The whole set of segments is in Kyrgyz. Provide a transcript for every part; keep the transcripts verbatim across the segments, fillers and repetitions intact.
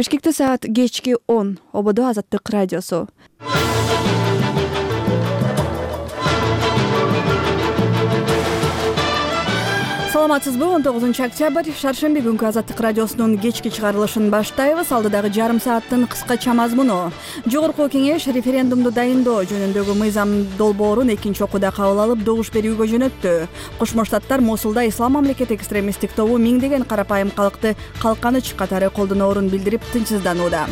Бишкекте саат кечки он. Ободо Азаттык радиосу. Саламатсызбы? он тогузунчу октябрь шаршемби күнкү Азаттык радиосунун кечки чыгарылышын баштайбыз. Алдыдагы жарым сааттын кыскача мазмуну. Жогорку кеңеш референдумду дайындоо жөнүндөгү мыйзам долбоорун экинчи окууда кабыл алып, добуш берүүгө жөнөттү. Кошмо Штаттар Мосулда Ислам мамлекети экстремисттик тобу миңдеген карапайым калкты калканыч катары колдоноорун билдирип тынчсызданууда.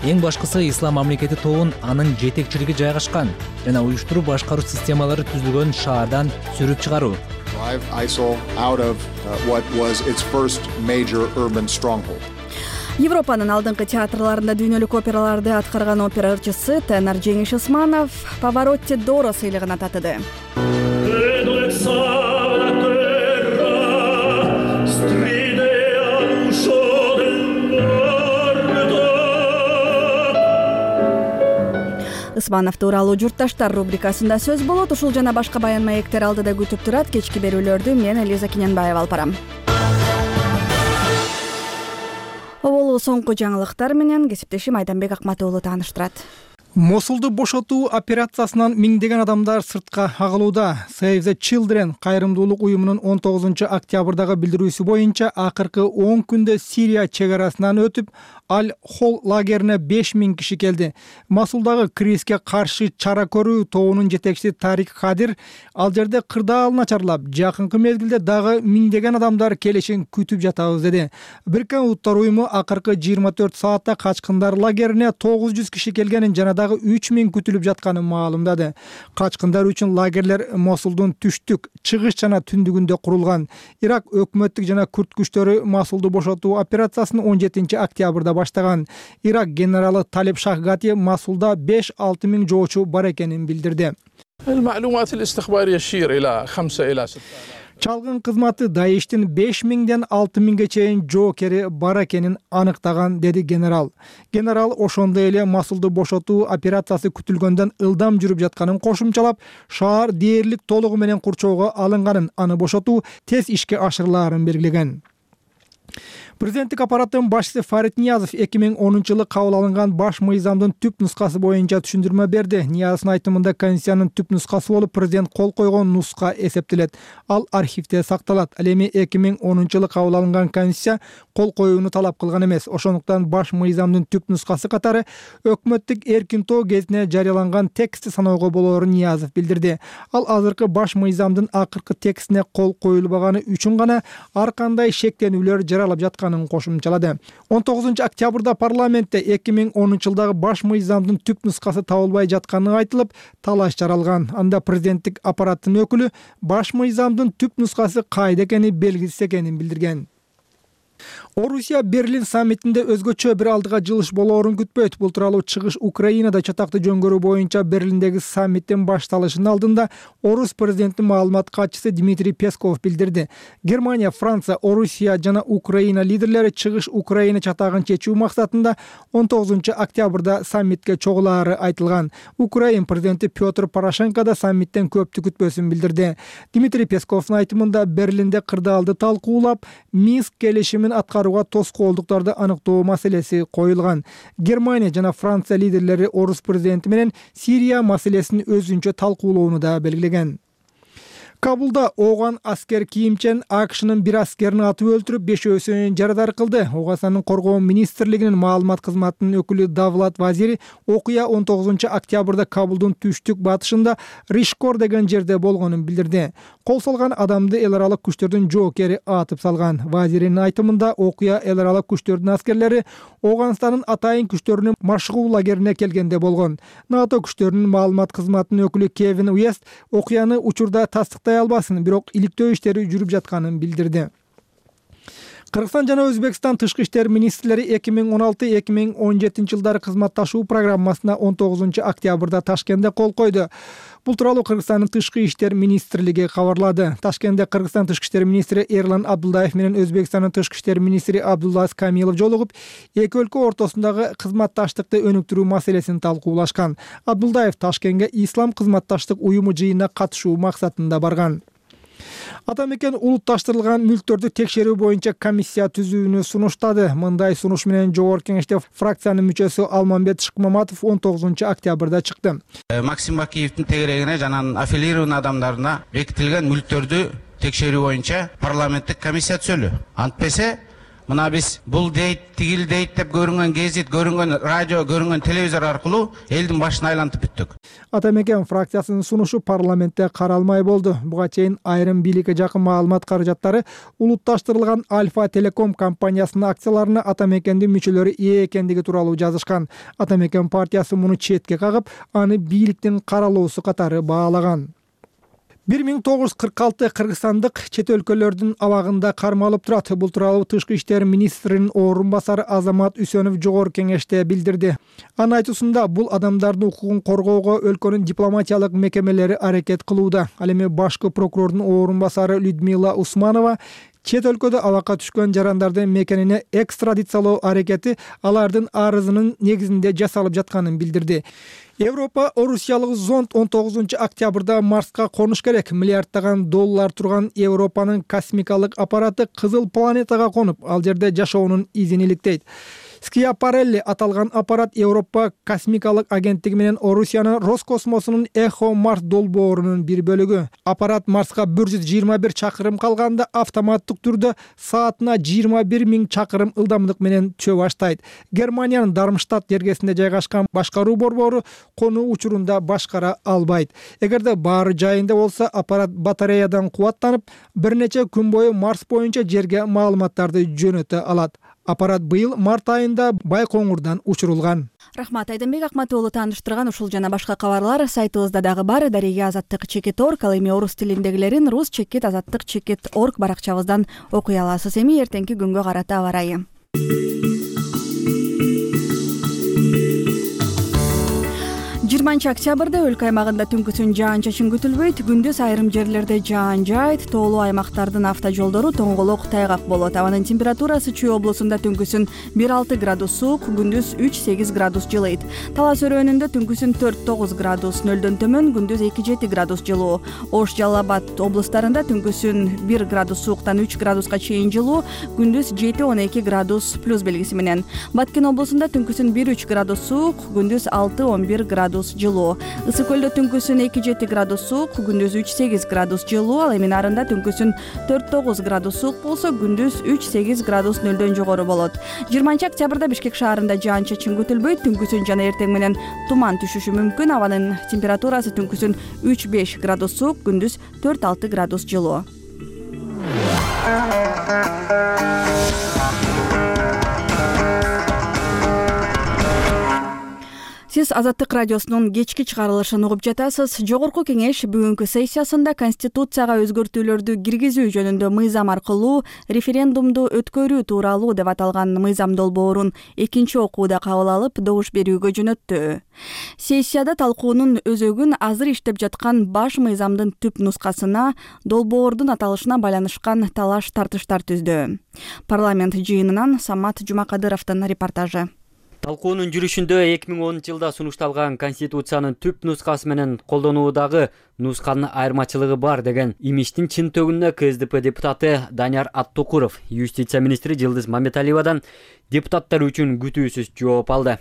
Эң башкысы Ислам мамлекети тобун анын жетекчилиги жайгашкан жана уюштуруу башкаруу системалары түзүлгөн шаардан сүрүп чыгаруу. Европанын алдыңкы театрларында дүйнөлүк операларды аткарган опера ырчысы тенор Жеңиш Усманов Паваротти Доро сыйлыгына татыды. Усманов тууралуу журтташтар рубрикасында сөз болот. Ушул жана башка баян маектер алдыда күтүп турат. Кечки берүүлөрдү мен Элиза Киненбаева алып барам. Оболу соңку жаңылыктар менен кесиптешим Айданбек Акматуулу тааныштырат. Мосулду бошотуу операциясынан миңдеген адамдар сыртка агылууда. Save the Children кайрымдуулук уюмунун он тогузунчу октябрдагы билдирүүсү боюнча акыркы он күндө Сирия чек арасынан өтүп, Аль-Хол лагерине беш миң киши келди. Мосулдагы кризиске каршы чара көрүү тобунун жетекчиси Тарик Хадир ал жерде кырдаал начарлап, жакынкы мезгилде дагы миңдеген адамдар келишин күтүп жатабыз деди. Бириккен Улуттар уюму акыркы жыйырма төрт саатта качкындар лагерине тогуз жүз киши келгенин жана дагы үч миң күтүлүп жатканын маалымдады. Качкындар үчүн лагерлер Мосулдун түштүк, чыгыш жана түндүгүндө курулган. Ирак өкмөттүк жана күрд күчтөрү Мосулду бошотуу операциясын он жетинчи октябрда баштаган. Ирак генералы Талиб Шахгати Мосулда беш алты миң жоочу бар экенин билдирди. Чалгын кызматы Даиштин беш миңден алты миңге чейин жоокери бар экенин аныктаган, деди генерал. Генерал ошондой эле Мосулду бошотуу операциясы күтүлгөндөн ылдам жүрүп жатканын кошумчалап, шаар дээрлик толугу менен курчоого алынганын, аны бошотуу тез ишке ашырылаарын белгилеген. Президенттик аппараттын башчысы Фарид Ниязов эки миң онунчу жылы кабыл алынган баш мыйзамдын түп нускасы боюнча түшүндүрмө берди. Ниязовдун айтымында Конституциянын түп нускасы болуп президент кол койгон нуска эсептелет. Ал архивде сакталат. Ал эми эки миң онунчу жылы кабыл алынган Конституция кол коюуну талап кылган эмес. Ошондуктан баш мыйзамдын түп нускасы катары өкмөттүк эркинтоо кезине жарыяланган текстти саноого болоорун Ниязов билдирди. Ал азыркы баш мыйзамдын акыркы текстине кол коюлбаганы үчүн гана ар кандай шектенүүлөр жаралып жаткан кошумчалады. он тогузунчу октябрда парламентте эки миң онунчу жылдагы баш мыйзамдын түп нускасы табылбай жатканы айтылып, талаш жаралган. Анда президенттик аппараттын өкүлү баш мыйзамдын түп нускасы кайда экени белгисиз экенин билдирген. Орусия Берлин саммитинде өзгөчө бир алдыга жылыш болоорун күтпөйт. Бул тууралуу чыгыш Украинада чатакты жөнгөрүү боюнча Берлиндеги саммиттин башталышынын алдында Орус президентинин маалымат катчысы Дмитрий Песков билдирди. Германия, Франция, Орусия жана Украина лидерлери чыгыш Украина чатагын чечүү максатында он тогузунчу октябрда саммитке чогулаары айтылган. Украин президенти Петр Порошенко да саммиттен көптү күтпөсүн билдирди. Дмитрий Песковдун айтымында Берлинде кырдаалды талкуулап, Минск келишимин аткарууга тоскоолдуктарды аныктоо маселеси коюлган. Германия жана Франция лидерлери Орус президенти менен Сирия маселесин өзүнчө талкуулоону да белгилеген. Кабулда ооган аскер кийимчен АКШнын бир аскерин атып өлтүрүп, бешөөсүн жарадар кылды. Оогасанын коргоо министрлигинин маалымат кызматынын өкүлү Давлат Вазири окуя он тогузунчу октябрда Кабулдун түштүк батышында Ришкор деген жерде болгонун билдирди. Кол салган адамды эл аралык күчтөрдүн жоокери атып салган. Вазиринин айтымында окуя эл аралык күчтөрдүн аскерлери Ооганстандын атайын күчтөрүнүн машыгуу лагерине келгенде болгон. НАТО күчтөрүнүн маалымат кызматынын өкүлү Кевин Уэст окуяны учурда тастыктай албасын, бирок иликтөө иштери жүрүп жатканын билдирди. Кыргызстан жана Өзбекстан тышкы иштер министрлери эки миң он алты эки миң он жетинчи жылдары кызматташуу программасына он тогузунчу октябрда Ташкентте кол койду. Бул тууралуу Кыргызстандын тышкы иштер министрлиги кабарлады. Ташкентте Кыргызстан тышкы иштер министри Эрлан Абдулдаев менен Өзбекстандын тышкы иштер министри Абдуллаз Камилов жолугуп, эки өлкө ортосундагы кызматташтыкты өнүктүрүү маселесин талкуулашкан. Абдулдаев Ташкентке Ислам кызматташтык уюму жыйынына катышуу максатында барган. Атамекен улутташтырылган мүлктөрдү текшерүү боюнча комиссия түзүүнү сунуштады. Мындай сунуш менен Жогорку Кеңеште фракциянын мүчөсү Алмамбет Шыкмаматов он тогузунчу октябрда чыкты. Максим Бакиевдин тегерегине жана аффилированный адамдарына бекитилген мүлктөрдү текшерүү боюнча парламенттик комиссия түзөлү. Антпесе мына биз бул дейт, тигил дейт деп көрүнгөн гезит, көрүнгөн радио, көрүнгөн телевизор аркылуу элдин башын айлантып бүттүк. Атамекен фракциясынын сунушу парламентте каралмай болду. Буга чейин айрым бийликке жакын маалымат каражаттары улутташтырылган Альфа Телеком компаниясынын акцияларына Атамекендин мүчөлөрү ээ экендиги тууралуу жазышкан. Атамекен партиясы муну четке кагып, аны бийликтин каралоосу катары баалаган. бир миң тогуз жүз кырк алты кыргызстандык чет өлкөлөрдүн абагында кармалып турат. Бул тууралуу Тышкы иштер министринин орун басары Азамат Үсөнов Жогорку Кеңеште билдирди. Анын айтуусунда бул адамдардын укугун коргоого өлкөнүн дипломатиялык мекемелери аракет кылууда. Ал эми башкы прокурордун орун басары Людмила Усманова чет өлкөдө абакка түшкөн жарандардын мекенине экстрадициялоо аракети алардын арызынын негизинде жасалып жатканын билдирди. Европа орусиялык зонд он тогузунчу октябрда Марска конуш керек. Миллиарддаган доллар турган Европанын космикалык аппараты кызыл планетага конуп, ал жерде жашоонун изин иликтейт. Скиапарелли аталган аппарат Европа космикалык агенттиги менен Орусиянын Роскосмосунун Эхо Марс долбоорунун бир бөлүгү. Аппарат Марска бир жүз жыйырма бир чакырым калганда автоматтык түрдө саатына жыйырма бир миң чакырым ылдамдык менен чөө баштайт. Германиянын Дармштадт жергесинде жайгашкан башкаруу борбору конуу учурунда башкара албайт. Эгерде баары жайында болсо, аппарат батареядан кубаттанып, бир нече күн бою Марс боюнча жерге маалыматтарды жөнөтө алат. Аппарат быйыл март айында Байкоңурдан учурулган. Рахмат, Айдынбек Акматуулу тааныштырган ушул жана башка кабарлар сайтыбызда дагы бар. Дареге азаттык чекит точка орг, ал эми орус тилиндегилерин рус чекит азаттык чекит точка орг баракчабыздан окуй аласыз. Эми эртеңки күнгө карата аба ырайы. жыйырманчы октябрда өлкө аймагында түнкүсүн жаан-чачын күтүлбөйт. Күндүз айрым жерлерде жаан жаайт. Тоолуу аймактардын автожолдору тоңголок тайгак болот. Абанын температурасы Чүй облусунда түнкүсүн бир алты градус суук, күндүз үч сегиз градус жылыйт. Талас өрөөнүндө түнкүсүн төрт тогуз градус, нөлдөн төмөн, күндүз эки жети градус жылуу. Ош, Жалал Абад облустарында түнкүсүн бир градус сууктан үч градуска чейин жылуу, күндүз жети он эки градус плюс белгиси менен. Баткен облусунда түнкүсүн бир үч градус суук, күндүз алты он бир градус жылуу. Ысык көлдө түнкүсүн эки жети градус суук, күндүз үч сегиз градус жылуу. Ал эми Нарында түнкүсүн төрт тогуз градус суук болсо, күндүз үч сегиз градус нөлдөн жогору болот. жыйырманчы октябрда Бишкек шаарында жаан-чачын күтүлбөйт. Түнкүсүн жана эртең менен туман түшүшү мүмкүн. Абанын температурасы түнкүсүн үч беш градус суук, күндүз төрт алты градус жылуу. Сиз Азаттык радиосунун кечки чыгарылышын угуп жатасыз. Жогорку Кеңеш бүгүнкү сессиясында Конституцияга өзгөртүүлөрдү киргизүү жөнүндө мыйзам аркылуу референдумду өткөрүү тууралуу деп аталган мыйзам долбоорун экинчи окууда кабыл алып, добуш берүүгө жөнөттү. Сессияда талкуунун өзөгүн азыр иштеп жаткан баш мыйзамдын түп нускасына, долбоордун аталышына байланышкан талаш тартыштар түздү. Парламент жыйынынан Самат Жумакадыровдун репортажы. Талкуунун жүрүшүндө эки миң онунчу жылда сунушталган Конституциянын түп нускасы менен колдонуудагы нусканын айырмачылыгы бар деген имиштин чын төгүнүнө КСДП депутаты Данияр Аттукуров юстиция министри Жылдыз Маматалиевадан депутаттар үчүн күтүүсүз жооп алды.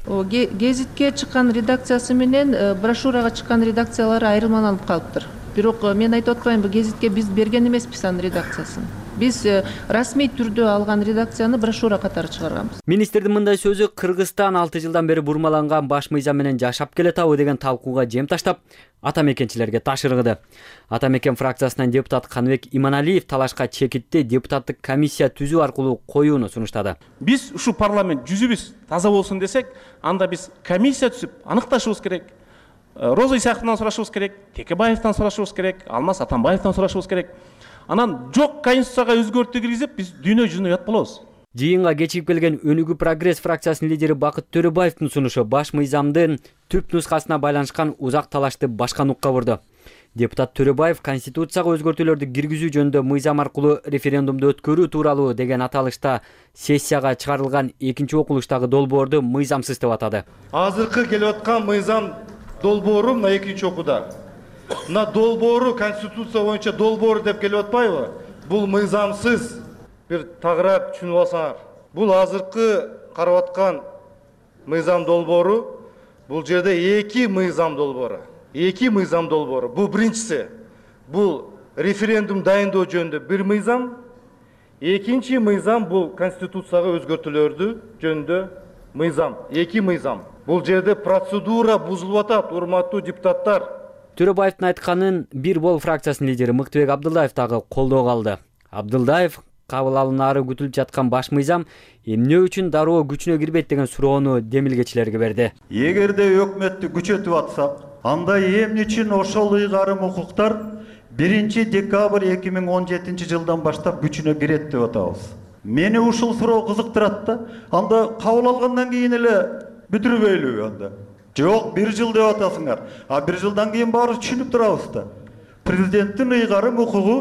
Гезитке чыккан редакциясы менен брошюрага чыккан редакциялары айырмаланып калыптыр. Бирок мен айтып атпаймынбы, гезитке биз берген эмеспиз анын редакциясын. Биз расмий түрдө алган редакцияны брошюра катары чыгарганбыз. Министрдин мындай сөзү Кыргызстан алты жылдан бери бурмаланган баш мыйзам менен жашап келетабы деген талкууга жем таштап, атамекенчилерге ташыргыды. Атамекен фракциясынан депутат Каныбек Иманалиев талашка чекитти депутаттык комиссия түзүү аркылуу коюуну сунуштады. Биз ушу парламент жүзүбүз таза болсун десек, анда биз комиссия түзүп аныкташыбыз керек. Роза Исаковнадан сурашыбыз керек, Текебаевден сурашыбыз керек, Алмаз Атамбаевден сурашыбыз керек. Анан жок Конституцияга өзгөртүү киргизип, биз дүйнө жүзүнө ят болобуз. Жыйынга кечигип келген Өнүгүү прогресс фракциясынын лидери Бакыт Төрөбаевдин сунушу баш мыйзамдын түп нускасына байланышкан узак талашты башка нукка бурду. Депутат Төрөбаев Конституцияга өзгөртүүлөрдү киргизүү жөнүндө мыйзам аркылуу референдумду өткөрүү тууралуу деген аталышта сессияга чыгарылган экинчи окулуштагы долбоорду мыйзамсыз деп атады. Азыркы келип аткан мыйзам долбоору мына экинчи окууда Мына долбоору конституция боюнча долбоор деп келип атпайбы? Бул мыйзамсыз. Бир тагыраак түшүнүп алсаңар. Бул азыркы карап аткан мыйзам долбоору, бул жерде эки мыйзам долбоору. Эки мыйзам долбоору. Бул биринчиси. Бул референдум дайындоо жөнүндө бир мыйзам. Экинчи мыйзам бул конституцияга өзгөртүүлөрдү жөнүндө мыйзам. Эки мыйзам. Бул жерде процедура бузулуп атат, урматтуу депутаттар. Төрөбаевдин айтканын Бир Бол фракциясынын лидери Мыктыбек Абдылдаев дагы колдоого алды. Абдылдаев кабыл алынаары күтүлүп жаткан баш мыйзам эмне үчүн дароо күчүнө кирбейт деген суроону демилгечилерге берди. Эгерде өкмөттү күчөтүп атсак, анда эмне үчүн ошол ыйгарым укуктар биринчи декабрь эки миң он жетинчи жылдан баштап күчүнө кирет деп атабыз. Мени ушул суроо кызыктырат да. Анда кабыл алгандан кийин эле бүтүрбөйлүбү анда? Жок, бир жыл деп атасыңар. А бир жылдан кийин баарыбыз түшүнүп турабыз да. Президенттин ыйгарым укугу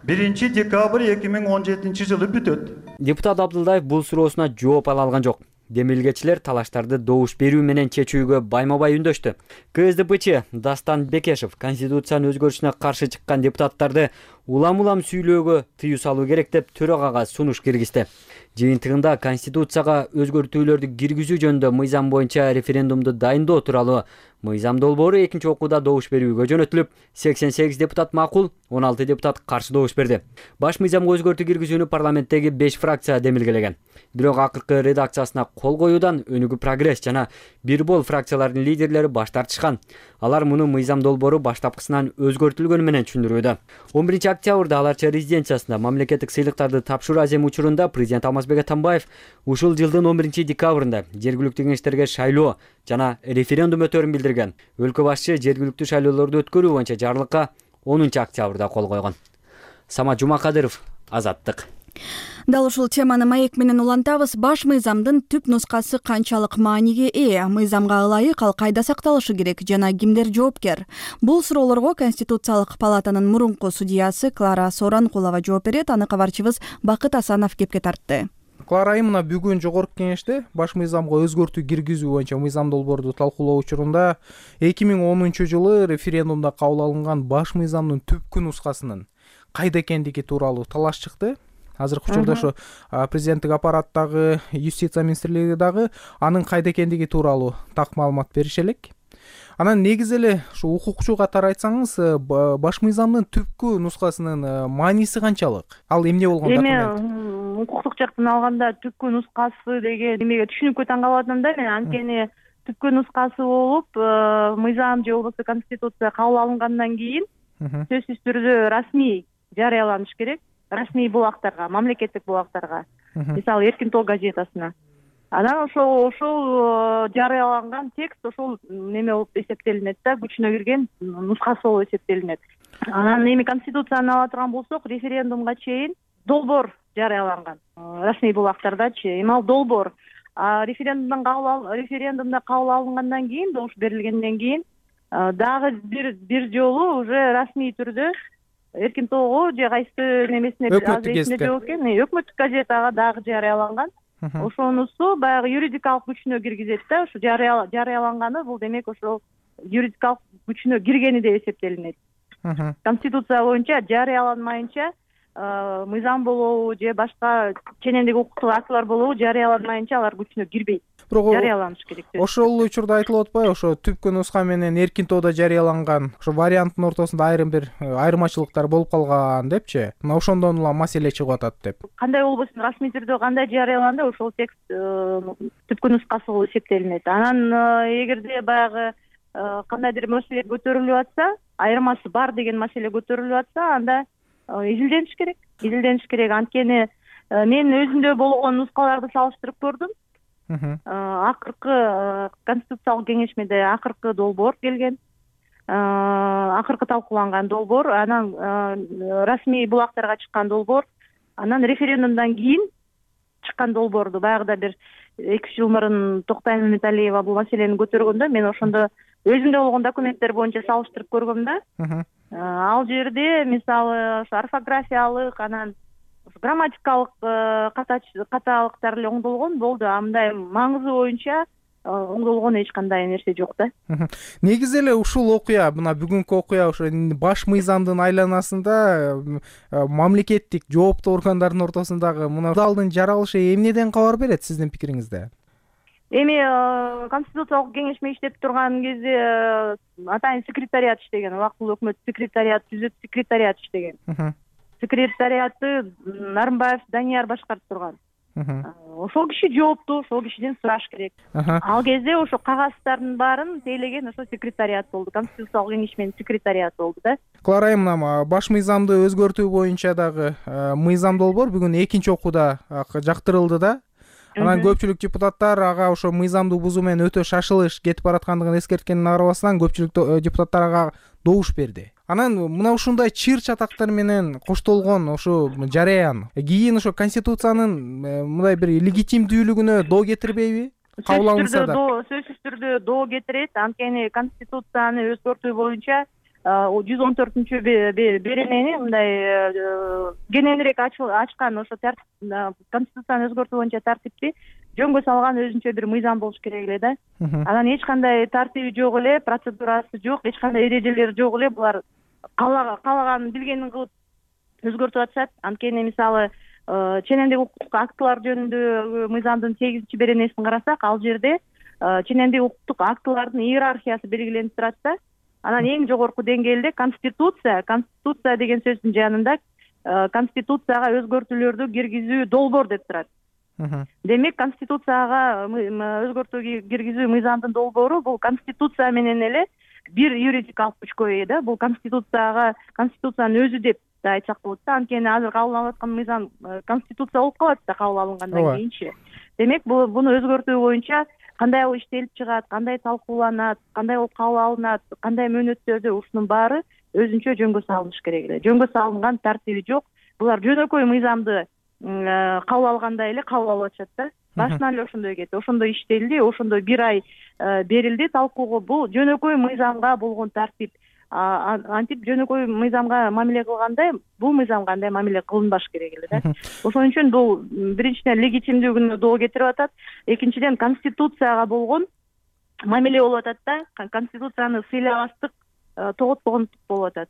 биринчи декабрь эки миң он жетинчи жылы бүтөт. Депутат Абдылдаев бул суроосуна жооп ала алган жок. Демилгечилер талаштарды добуш берүү менен чечүүгө байма-бай үндөштү. КСДПчы Дастан Бекешев конституциянын өзгөрүшүнө каршы чыккан депутаттарды улам-улам сүйлөөгө тыюу салуу керек деп төрагага сунуш киргизди. Жыйынтыгында конституцияга өзгөртүүлөрдү киргизүү жөнүндө мыйзам боюнча референдумду дайындоо тууралуу мыйзам долбоору экинчи окууда добуш берүүгө жөнөтүлүп, сексен сегиз депутат макул, он алты депутат каршы добуш берди. Баш мыйзамга өзгөртүү киргизүүнү парламенттеги беш фракция демилгелеген. Бирок акыркы редакциясына кол коюудан Өнүгүү Прогресс жана Бир Бол фракцияларынын лидерлери баш тартышкан. Алар муну мыйзам долбоору баштапкысынан өзгөртүлгөнү менен түшүндүрүүдө. он биринчи октябрда аларча резиденциясында мамлекеттик сыйлыктарды тапшыруу азем учурунда президент Алмазбек Атамбаев ушул жылдын он биринчи декабрында жергиликтүү кеңештерге шайлоо жана референдум өтөрүн билдирген. Өлкө башчы жергиликтүү шайлоолорду өткөрүү боюнча жарлыкка онунчу октябрда кол койгон. Самат Жумакадыров, Азаттык. Дал ушул теманы маек менен улантабыз. Баш мыйзамдын түп нускасы канчалык мааниге ээ, мыйзамга ылайык ал кайда сакталышы керек жана кимдер жоопкер? Бул суроолорго Конституциялык палатанын мурунку судьясы Клара Соранкулова жооп берет. Аны кабарчыбыз Бакыт Асанов кепке тартты. Клара айым, мына бүгүн жогорку кеңеште баш мыйзамга өзгөртүү киргизүү боюнча мыйзам долбоорду талкуулоо учурунда эки миң онунчу жылы референдумда кабыл алынган баш мыйзамдын түпкү нускасынын кайда экендиги тууралуу талаш чыкты. Азыркы учурда ошо президенттик аппараттагы, юстиция министрлиги дагы анын кайда экендиги тууралуу так маалымат берише элек. Анан негизи эле ушу укукчу катары айтсаңыз, баш мыйзамдын түпкү нускасынын мааниси канчалык? Ал эмне болгон документ? Эми укуктук жактан алганда түпкү нускасы деген эмеге түшүнүккө таң калып атам да мен. Анткени түпкү нускасы болуп, мыйзам же болбосо конституция кабыл алынгандан кийин сөзсүз түрдө расмий жарыяланыш керек. Расмий булактарга, мамлекеттик булактарга, мисалы Эркин Тоо газетасына. Анан ошол ошол жарыяланган текст ошол неме болуп эсептелинет да, күчүнө кирген нускасы болуп эсептелинет. Анан эми конституцияны ала турган болсок, референдумга чейин долбоор жарыяланган расмий булактардачы. Эми ал долбоор референдумдан кабыл референдумда кабыл алынгандан кийин, добуш берилгенден кийин дагы бир бир жолу уже расмий түрдө Эркин Тоого же кайсы немесине өкмөттүк жок экен, өкмөттүк газетага дагы жарыяланган. Ошонусу баягы юридикалык күчүнө киргизет да, ушу жарыяланганы бул демек ошол юридикалык күчүнө киргени деп эсептелинет. Конституция боюнча жарыяланмайынча мыйзам болобу же башка ченемдик укуктук актылар болобу жарыяланмайынча алар күчүнө кирбейт. Жарыяланыш керек. Ошол учурда айтылып атпайбы, ошо түпкү нуска менен Эркин Тоодо жарыяланган ошо варианттын ортосунда айрым бир айырмачылыктар болуп калган депчи. Мына ошондон улам маселе чыгып атат деп. Кандай болбосун расмий түрдө кандай жарыяланды, ошол текст түпкү нускасы болуп эсептелинет. Анан эгерде баягы кандайдыр маселе көтөрүлүп атса, айырмасы бар деген маселе көтөрүлүп атса, анда изилдениш керек. Изилдениш керек. Анткени мен өзүмдө болгон нускаларды салыштырып көрдүм. Акыркы конституциялык кеңешмеде акыркы долбоор келген, акыркы талкууланган долбоор, анан расмий булактарга чыккан долбоор, анан референдумдан кийин чыккан долбоорду баягыда бир эки үч жыл мурун Токтай Маматалиева бул маселени көтөргөндө мен ошондо өзүмдө болгон документтер боюнча салыштырып көргөм да. Ал жерде мисалы ошо орфографиялык, анан грамматикалык каталыктар эле оңдолгон болду. Андай маңызы боюнча оңдолгон эч кандай нерсе жок да. Негизи эле ушул окуя, мына бүгүнкү окуя ошо баш мыйзамдын айланасында мамлекеттик жооптуу органдардын ортосундагы мына далдын жаралышы эмнеден кабар берет сиздин пикириңизде? Эми конституциялык кеңешме иштеп турган кезде атайын секретариат иштеген, убактылуу өкмөт секретариат түзүп, секретариат иштеген. Секретариатты Нарымбаев Данияр башкарып турган. Ошол киши жооптуу, ошол кишиден сураш керек. Ал кезде ошо кагаздардын баарын тейлеген ошо секретариат болду, конституциялык кеңешменин секретариаты болду да. Клара айым, мына баш мыйзамды өзгөртүү боюнча дагы мыйзам долбоор бүгүн экинчи окууда жактырылды да. Анан көпчүлүк депутаттар ага ошо мыйзамды бузуу менен өтө шашылыш кетип бараткандыгын эскерткендин арабасынан көпчүлүк депутаттар ага добуш берди. Анан мына ушундай чыр чатактар менен коштолгон ошо жараян кийин ошо конституциянын мындай бир легитимдүүлүгүнө доо кетирбейби? Кабыл алынса да. Сөзсүз түрдө доо кетирет. Анткени конституцияны өзгөртүү боюнча жүз он төртүнчү беренени мындай кененирээк ачкан ошо конституцияны өзгөртүү боюнча тартипти жөнгө салган өзүнчө бир мыйзам болуш керек эле да. Анан эч кандай тартиби жок эле, процедурасы жок, эч кандай эрежелери жок эле. Булар каалаган билгенин кылып өзгөртүп атышат. Анткени мисалы ченемдик укуктук актылар жөнүндө мыйзамдын сегизинчи беренесин карасак, ал жерде ченемдик укуктук актылардын иерархиясы белгиленип турат да. Анан эң жогорку деңгээлде конституция, конституция деген сөздүн жанында конституцияга өзгөртүүлөрдү киргизүү долбоор деп турат. Демек, конституцияга өзгөртүү киргизүү мыйзамдын долбоору бул конституция менен эле бир юридикалык күчкө ээ да. Бул конституцияга конституциянын өзү деп да айтсак болот да. Анткени азыр кабыл алып аткан мыйзам конституция болуп калат да кабыл алынгандан кийинчи. Демек, буну өзгөртүү боюнча кандай болуп иштелип чыгат, кандай талкууланат, кандай болуп кабыл алынат, кандай мөөнөттөрдө, ушунун баары өзүнчө жөнгө салыныш керек эле. Жөнгө салынган тартиби жок. Булар жөнөкөй мыйзамды кабыл алгандай эле кабыл алып атышат да. Башынан эле ошондой кетти, ошондой иштелди, ошондой бир ай берилди талкууга. Бул жөнөкөй мыйзамга болгон тартип. Антип жөнөкөй мыйзамга мамиле кылгандай, бул мыйзамга андай мамиле кылынбаш керек эле да. Ошон үчүн бул биринчиден легитимдүүлүгүнө доо кетирип атат, экинчиден конституцияга болгон мамиле болуп атат да. Конституцияны сыйлабастык, тоготпогондук болуп атат.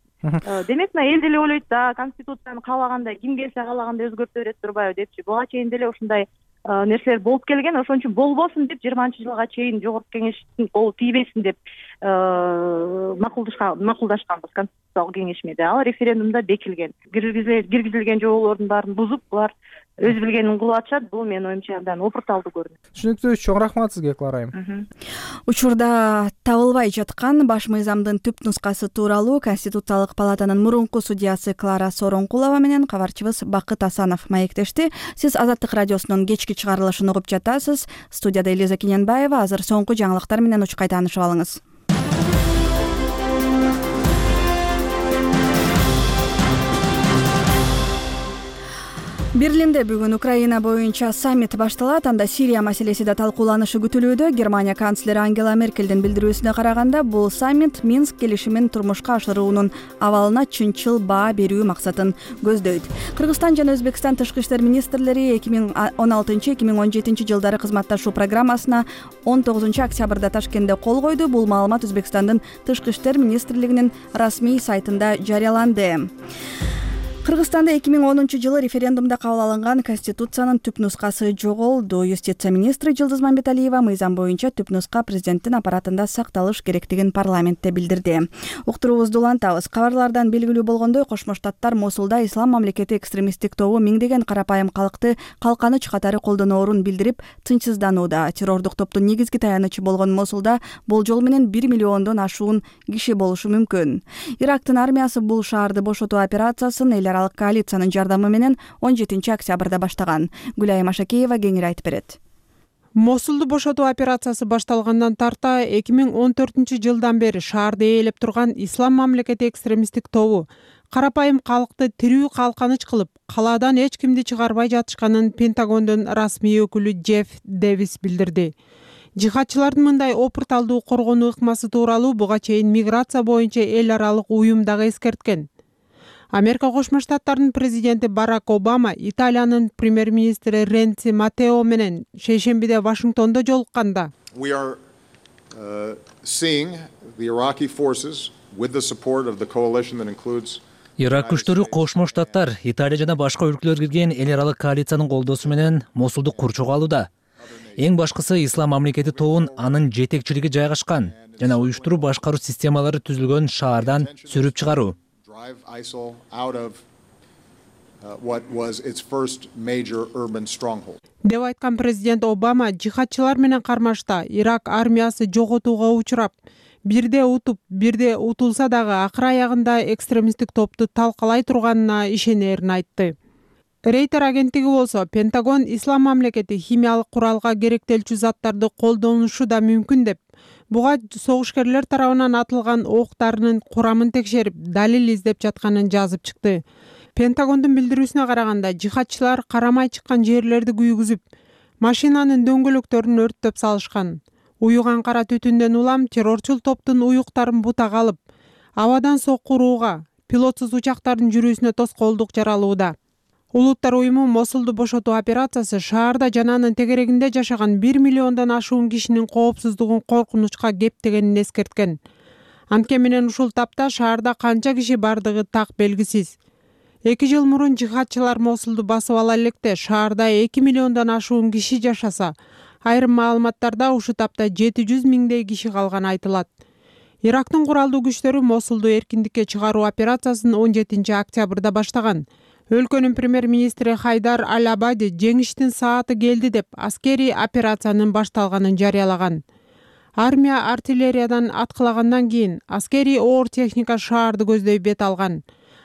Демек, эл деле ойлойт да, конституцияны каалагандай, ким келсе каалагандай өзгөртө берет турбайбы депчи. Буга чейин деле ушундай нерселер болуп келген, ошон үчүн болбосун деп жыйырманчы жылга чейин жогорку кеңештин колу тийбесин деп макулдашканбыз конституциялык кеңешмеде. Ал референдумда бекилген. Киргизилген жоболордун баарын бузуп, булар өз билгенин кылып атышат. Бул менин оюмча абдан опурталдуу көрүнөт. Түшүнүктүү, чоң рахмат сизге, Клара айым. Учурда табылбай жаткан баш мыйзамдын түп нускасы тууралуу Конституциялык палатанын мурунку судьясы Клара Сооронкулова менен кабарчыбыз Бакыт Асанов маектешти. Сиз Азаттык радиосунун кечки чыгарылышын угуп жатасыз. Студияда Элиза Кененбаева. Азыр соңку жаңылыктар менен учкай таанышып алыңыз. Берлинде бүгүн Украина боюнча саммит башталат. Анда Сирия маселеси да талкууланышы күтүлүүдө. Германия канцлери Ангела Меркелдин билдирүүсүнө караганда, бул саммит Минск келишимин турмушка ашыруунун абалына чынчыл баа берүү максатын көздөйт. Кыргызстан жана Өзбекстан тышкы иштер министрлери эки миң он алтынчы эки миң он жетинчи жылдары кызматташуу программасына он тогузунчу октябрда Ташкентте кол койду. Бул маалымат Өзбекстандын тышкы иштер министрлигинин расмий сайтында жарыяланды. Кыргызстанда эки миң онунчу жылы референдумда кабыл алынган Конституциянын түп нускасы жоголду. Юстиция министри Жылдыз Мамбеталиева мыйзам боюнча түп нуска президенттин аппаратында сакталыш керектигин парламентте билдирди. Уктуруубузду улантабыз. Кабарлардан белгилүү болгондой, Кошмо Штаттар Мосулда ислам мамлекети экстремисттик тобу миңдеген карапайым калкты калканыч катары колдоноорун билдирип тынчсызданууда. Террордук топтун негизги таянычы болгон Мосулда болжол менен бир миллиондон ашуун киши болушу мүмкүн. Ирактын армиясы бул шаарды бошотуу операциясын эл аралык коалициянын жардамы менен он жетинчи октябрда баштаган. Гүлайым Ашакеева кеңири айтып берет. Мосулду бошотуу операциясы башталгандан тарта эки миң он төртүнчү жылдан бери шаарды ээлеп турган ислам мамлекети экстремисттик тобу карапайым калкты тирүү калканыч кылып, калаадан эч кимди чыгарбай жатышканын Пентагондун расмий өкүлү Джефф Дэвис билдирди. Жихадчылардын мындай опурталдуу коргонуу ыкмасы тууралуу буга чейин миграция боюнча эл аралык уюм дагы эскерткен. Америка Кошмо Штаттарынын президенти Барак Обама Италиянын премьер-министри Ренци Матео менен шейшембиде Вашингтондо жолукканда We are uh, seeing the Iraqi forces with the support of the coalition that includes Ирак күчтөрү Кошмо Штаттар, Италия жана башка өлкөлөр кирген эл аралык коалициянын колдоосу менен Мосулду курчоого алууда. Эң башкысы Ислам мамлекети тобун анын жетекчилиги жайгашкан жана уюштуруу башкаруу системалары түзүлгөн шаардан сүрүп чыгаруу. Деп айткан президент Обама жихадчылар менен кармашта Ирак армиясы жоготууга учурап, бирде утуп, бирде утулса дагы акыр аягында экстремисттик топту талкалай турганына ишенерин айтты. Рейтер агенттиги болсо, Пентагон Ислам мамлекети химиялык куралга керектелчү заттарды колдонушу да мүмкүн деп, буга согушкерлер тарабынан атылган октарынын курамын текшерип, далил издеп жатканын жазып чыкты. Пентагондун билдирүүсүнө караганда, жихадчылар карамай чыккан жерлерди күйгүзүп, машинанын дөңгөлөктөрүн өрттөп салышкан. Уюган кара түтүндөн улам террорчул топтун уюктарын бутага алып, абадан соккурууга, пилотсуз учактардын жүрүүсүнө тоскоолдук жаралууда. Улуттар уюму Мосулду бошотуу операциясы шаарда жана анын тегерегинде жашаган бир миллиондон ашуун кишинин коопсуздугун коркунучка кептегенин эскерткен. Анткени менен ушул тапта шаарда канча киши бардыгы так белгисиз. Эки жыл мурун жихадчылар Мосулду басып ала электе шаарда эки миллиондон ашуун киши жашаса, айрым маалыматтарда ушу тапта жети жүз миңдей киши калганы айтылат. Ирактын куралдуу күчтөрү Мосулду эркиндикке чыгаруу операциясын он жетинчи октябрда баштаган. Өлкөнүн премьер-министри Хайдар Аль-Абади жеңиштин сааты келди деп аскерий операциянын башталганын жарыялаган. Армия артиллериядан аткылагандан кийин аскерий оор техника шаарды көздөй бет алган.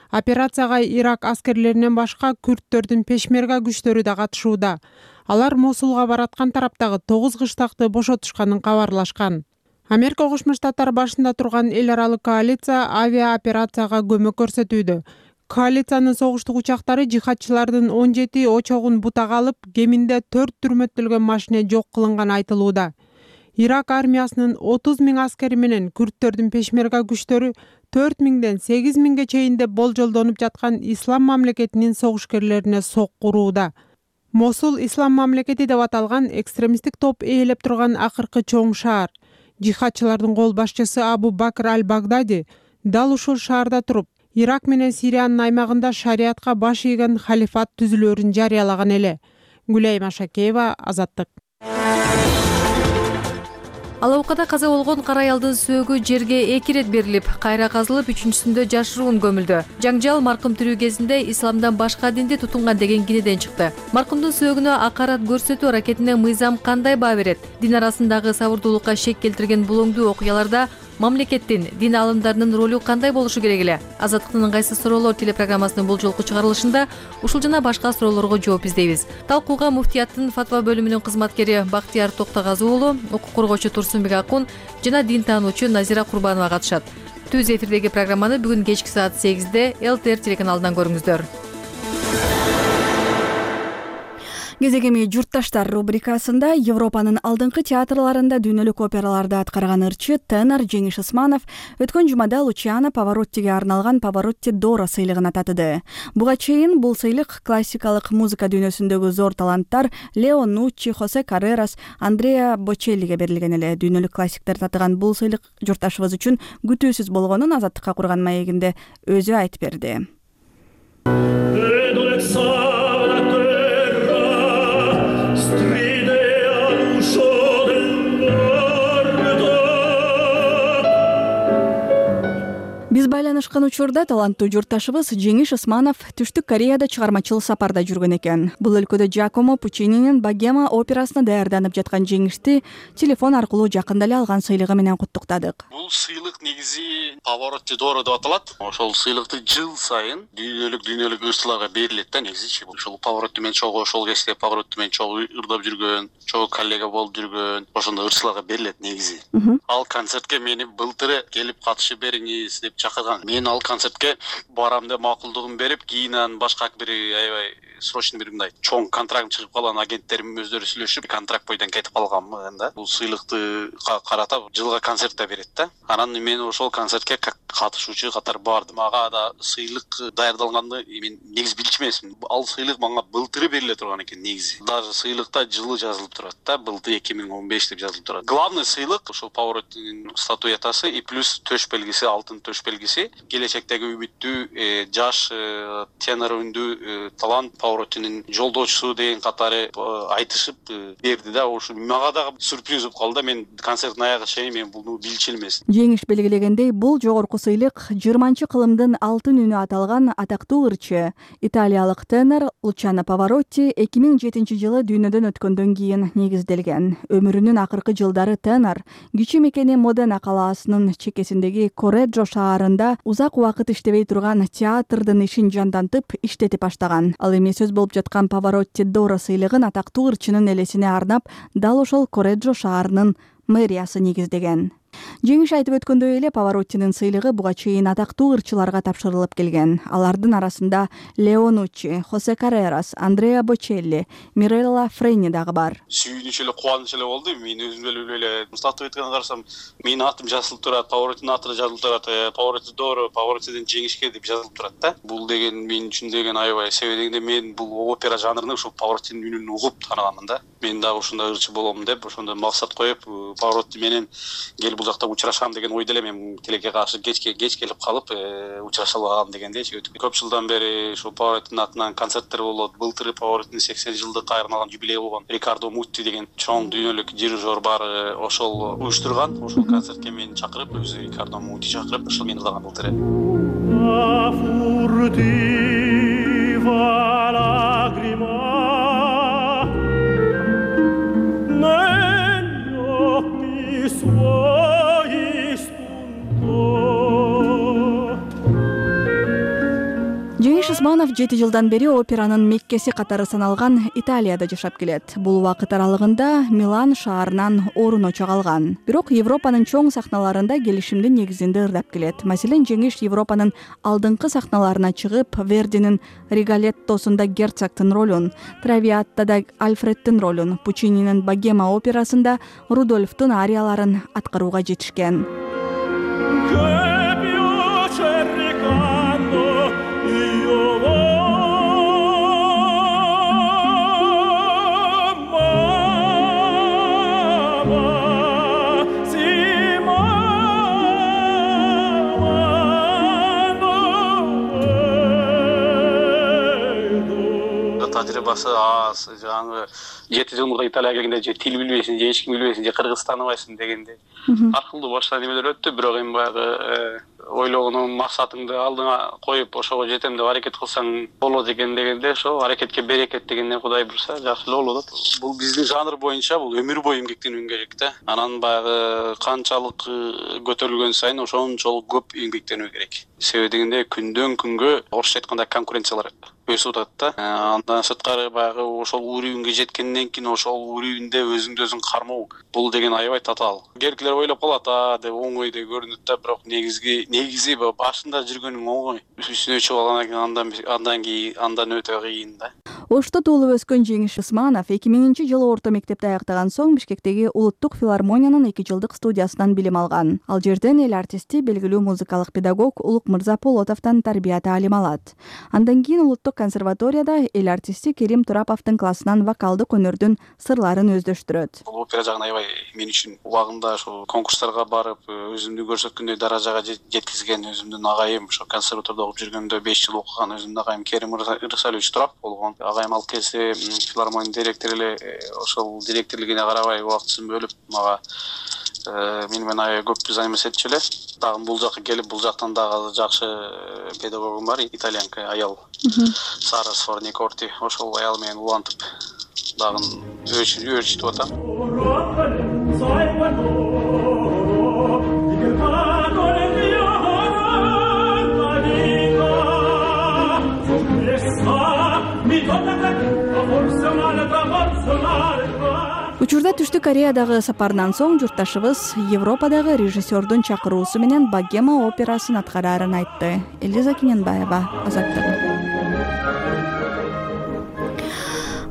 Операцияга Ирак аскерлеринен башка күрттөрдүн пешмерга күчтөрү да катышууда. Алар Мосулга бараткан тараптагы тогуз кыштакты бошотушканын кабарлашкан. Америка Кошмо Штаттары башында турган эл аралык коалиция авиа операцияга көмөк көрсөтүүдө. Коалициянын согуштук учактары жихадчылардын он жети очогун бутага алып, кеминде төрт түрмөттөлгөн машина жок кылынганы айтылууда. Ирак армиясынын отуз миң аскери менен күрттөрдүн пешмерга күчтөрү төрт миңден сегиз миңге чейин деп болжолдонуп жаткан Ислам мамлекетинин согушкерлерине соккурууда. Мосул Ислам мамлекети деп аталган экстремисттик топ ээлеп турган акыркы чоң шаар. Жихадчылардын кол башчысы Абу Бакр Аль-Багдади дал ушул шаарда туруп, Ирак менен Сириянын аймагында шариатка баш ийген халифат түзүлөрүн жарыялаган эле. Гүлайым Ашакеева, Азаттык. Алабукада каза болгон кара аялдын сөөгү жерге эки ирет берилип, кайра казылып, үчүнчүсүндө жашыруун көмүлдү. Жаңжал маркум тирүү кезинде исламдан башка динди тутунган деген кинеден чыкты. Маркумдун сөөгүнө акарат көрсөтүү аракетине мыйзам кандай баа берет? Дин арасындагы сабырдуулукка шек келтирген булоңдуу окуяларда мамлекеттин, дин алымдарынын ролу кандай болушу керек эле? Азаттыктын ыңгайсыз суроолор телепрограммасынын бул жолку чыгарылышында ушул жана башка суроолорго жооп издейбиз. Талкууга муфтияттын фатва бөлүмүнүн кызматкери Бактияр Токтогазы уулу, укук коргоочу Турсунбек Акун жана дин таануучу Назира Курбанова катышат. Түз эфирдеги программаны бүгүн кечки саат сегизде эл тэ эр телеканалынан көрүңүздөр. Кезегеми журтташтар рубрикасында Европанын алдыңкы театрларында дүйнөлүк операларды аткарган ырчы тенор Жеңиш Усманов өткөн жумада Лучиано Павароттиге арналган Паваротти Доро сыйлыгын татыды. Буга чейин бул сыйлык классикалык музыка дүйнөсүндөгү зор таланттар Лео Нуччи, Хосе Каррерас, Андреа Бочеллиге берилген эле. Дүйнөлүк классиктер татыган бул сыйлык журтташыбыз үчүн күтүүсүз болгонун Азаттыкка курган маегинде өзү айтып берди. Биз байланышкан учурда таланттуу журтташыбыз Жеңиш Усманов Түштүк Кореяда чыгармачыл сапарда жүргөн экен. Бул өлкөдө Жакомо Пучининин Богема операсына даярданып жаткан Жеңишти телефон аркылуу жакында эле алган сыйлыгы менен куттуктадык. Бул сыйлык негизи Паваротти Доро деп аталат. Ошол сыйлыкты жыл сайын дүйнөлүк дүйнөлүк ырчыларга берилет да негизи. Ошол Паваротти менен чогуу ошол кезде Паваротти менен чогуу ырдап жүргөн, чогуу коллега болуп жүргөн, ошондой ырчыларга берилет негизи. Ал концертке мени былтыры келип катышып бериңиз деп чакырган. Мен мен ал концертке барам деп макулдугун берип, кийин анан башка бир аябай срочный бир мындай чоң контракт чыгып калган агенттерим өздөрү сүйлөшүп, контракт бойдон кетип калганмын да. Бул сыйлыкты карата жылга концерт да берет да. Анан мен ошол концертке как катышуучу катары бардым. Ага да сыйлык даярдалганды мен негизи билчү эмесмин. Ал сыйлык мага былтыры бериле турган экен негизи. Даже сыйлыкта жылы жазылып турат да, былтыр эки миң он беш деп жазылып турат. Главный сыйлык ошол Повороттин статуэтасы и плюс төш белгиси, алтын төш белгиси. Келечектеги үмүттүү жаш тенор үндүү талант Повороттинин жолдошусу деген катары айтышып берди да. Ошо мага дагы сюрприз болуп калды. Мен концерттин аягына чейин мен буну билчү элмес. Жеңиш белгилегендей, бул жогорку сыйлык жыйырманчы кылымдын алтын үнү аталган атактуу ырчы италиялык тенор Лучано Паваротти эки миң жетинчи жылы дүйнөдөн өткөндөн кийин негизделген. Өмүрүнүн акыркы жылдары тенор кичи мекени Модена калаасынын чекесиндеги Кореджо шаарында узак убакыт иштебей турган театрдын ишин жандантып иштетип баштаган. Ал эми сөз болуп жаткан Паваротти Доро сыйлыгын атактуу ырчынын элесине арнап дал ошол Кореджо шаарынын мэриясы негиздеген. Жеңиш айтып өткөндөй эле Повороттинин сыйлыгы буга чейин атактуу ырчыларга тапшырылып келген. Алардын арасында Леонуччи, Хосе Каррерас, Андреа Бочелли, Мирелла Френи дагы бар. Сүйүнүч эле, кубаныч эле болду. Мен өзүм эле эле статуэтканы карасам, менин атым жазылып турат, Повороттинин аты жазылып турат, Поворотти Доро, Повороттиден жеңишке деп жазылып турат да. Бул деген мен үчүн деген аябай себебинде мен бул опера жанрын ошол Повороттинин үнүн угуп тааныганмын да. Мен дагы ушундай ырчы болом деп, ошондой максат коюп, Поворотти менен келип бул жакта учурашам деген ойдо эле мен тилекке каршы кечке кеч келип калып учураша алгам дегендейчи. Көп жылдан бери ошо Повороттинин атынан концерттер болот. Былтыр Повороттинин сексен жылдык айрылган юбилей болгон. Рикардо Мутти деген чоң дүйнөлүк дирижер бар, ошол уюштурган. Ошол концертке мени чакырып, өзү Рикардо Мутти чакырып, ошол мени ырдаган былтыр. Жеңиш Усманов жети жылдан бери операнын меккеси катары саналган Италияда жашап келет. Бул убакыт аралыгында Милан шаарынан орун очо алган. Бирок Европанын чоң сахналарында келишимдин негизинде ырдап келет. Маселен, Жеңиш Европанын алдыңкы сахналарына чыгып, Вердинин Риголеттосунда герцогтун ролун, Травиаттада Альфредтин ролун, Пучининин Богема операсында Рудольфтун арияларын аткарууга жетишкен. Тажрыйбасы аз, жаңы жети жыл мурда Италияга келгенде же тил билбейсиң, же эч ким билбейсиң, же кыргыз тааныбайсың дегенде ар кылдуу башка немелер өттү. Бирок эми баягы ойлогонуң максатыңды алдыңа коюп, ошого жетем деп аракет кылсаң болот экен дегенде, ошо аракетке берекет дегенден Кудай буйрса жакшы эле болот. Бул биздин жанр боюнча бул өмүр бою эмгектенүү керек да. Анан баягы канчалык көтөрүлгөн сайын ошончолук көп эмгектенүү керек. Себеби дегенде күндөн күнгө орусча айтканда конкуренциялар өсүп атат да. Андан сырткары баягы ошол уровеньге жеткенден кийин ошол уровеньде өзүңдү өзүң кармоо бул деген аябай татаал. Керкилер ойлоп калат, а деп оңой деп көрүнөт да, бирок негизги негизи башында жүргөнүң оңой. Үстүнө чыгып алгандан кийин андан андан кийин андан өтө кыйын да. Ошто туулуп өскөн Жеңиш Усманов эки миңинчи жылы орто мектепти аяктаган соң Бишкектеги Улуттук филармониянын эки жылдык студиясынан билим алган. Ал жерден эл артисти, белгилүү музыкалык педагог Улук Мырза Полотовдон тарбия таалим алат. Андан кийин Улуттук консерваторияда эл артисти Керим Тураповдун классынан вокалдык өнөрдүн сырларын өздөштүрөт. Бул опера жагын аябай мен үчүн убагында ошо конкурстарга барып, өзүмдү көрсөткөндөй даражага жеткизген өзүмдүн агайым, ошо консерваторияда окуп жүргөндө беш жыл окуган өзүмдүн агайым Керим Ырсалович Турапов болгон. Агайым ал кезде филармония директору эле, ошол директорлугуна карабай убактысын бөлүп мага мени менен аябай көп взаимосвязь эле. Дагы бул жакка келип, бул жактан дагы жакшы педагогум бар, итальянка аял Сара Сфорникорти. Ошол аял менен улантып дагы өөрчүтүп атам. Учурда түштүк Түштүк Кореядагы сапарынан соң журтташыбыз Европадагы режиссердун чакыруусу менен Богема операсын аткарарын айтты. Элиза Кененбаева, Азаттык.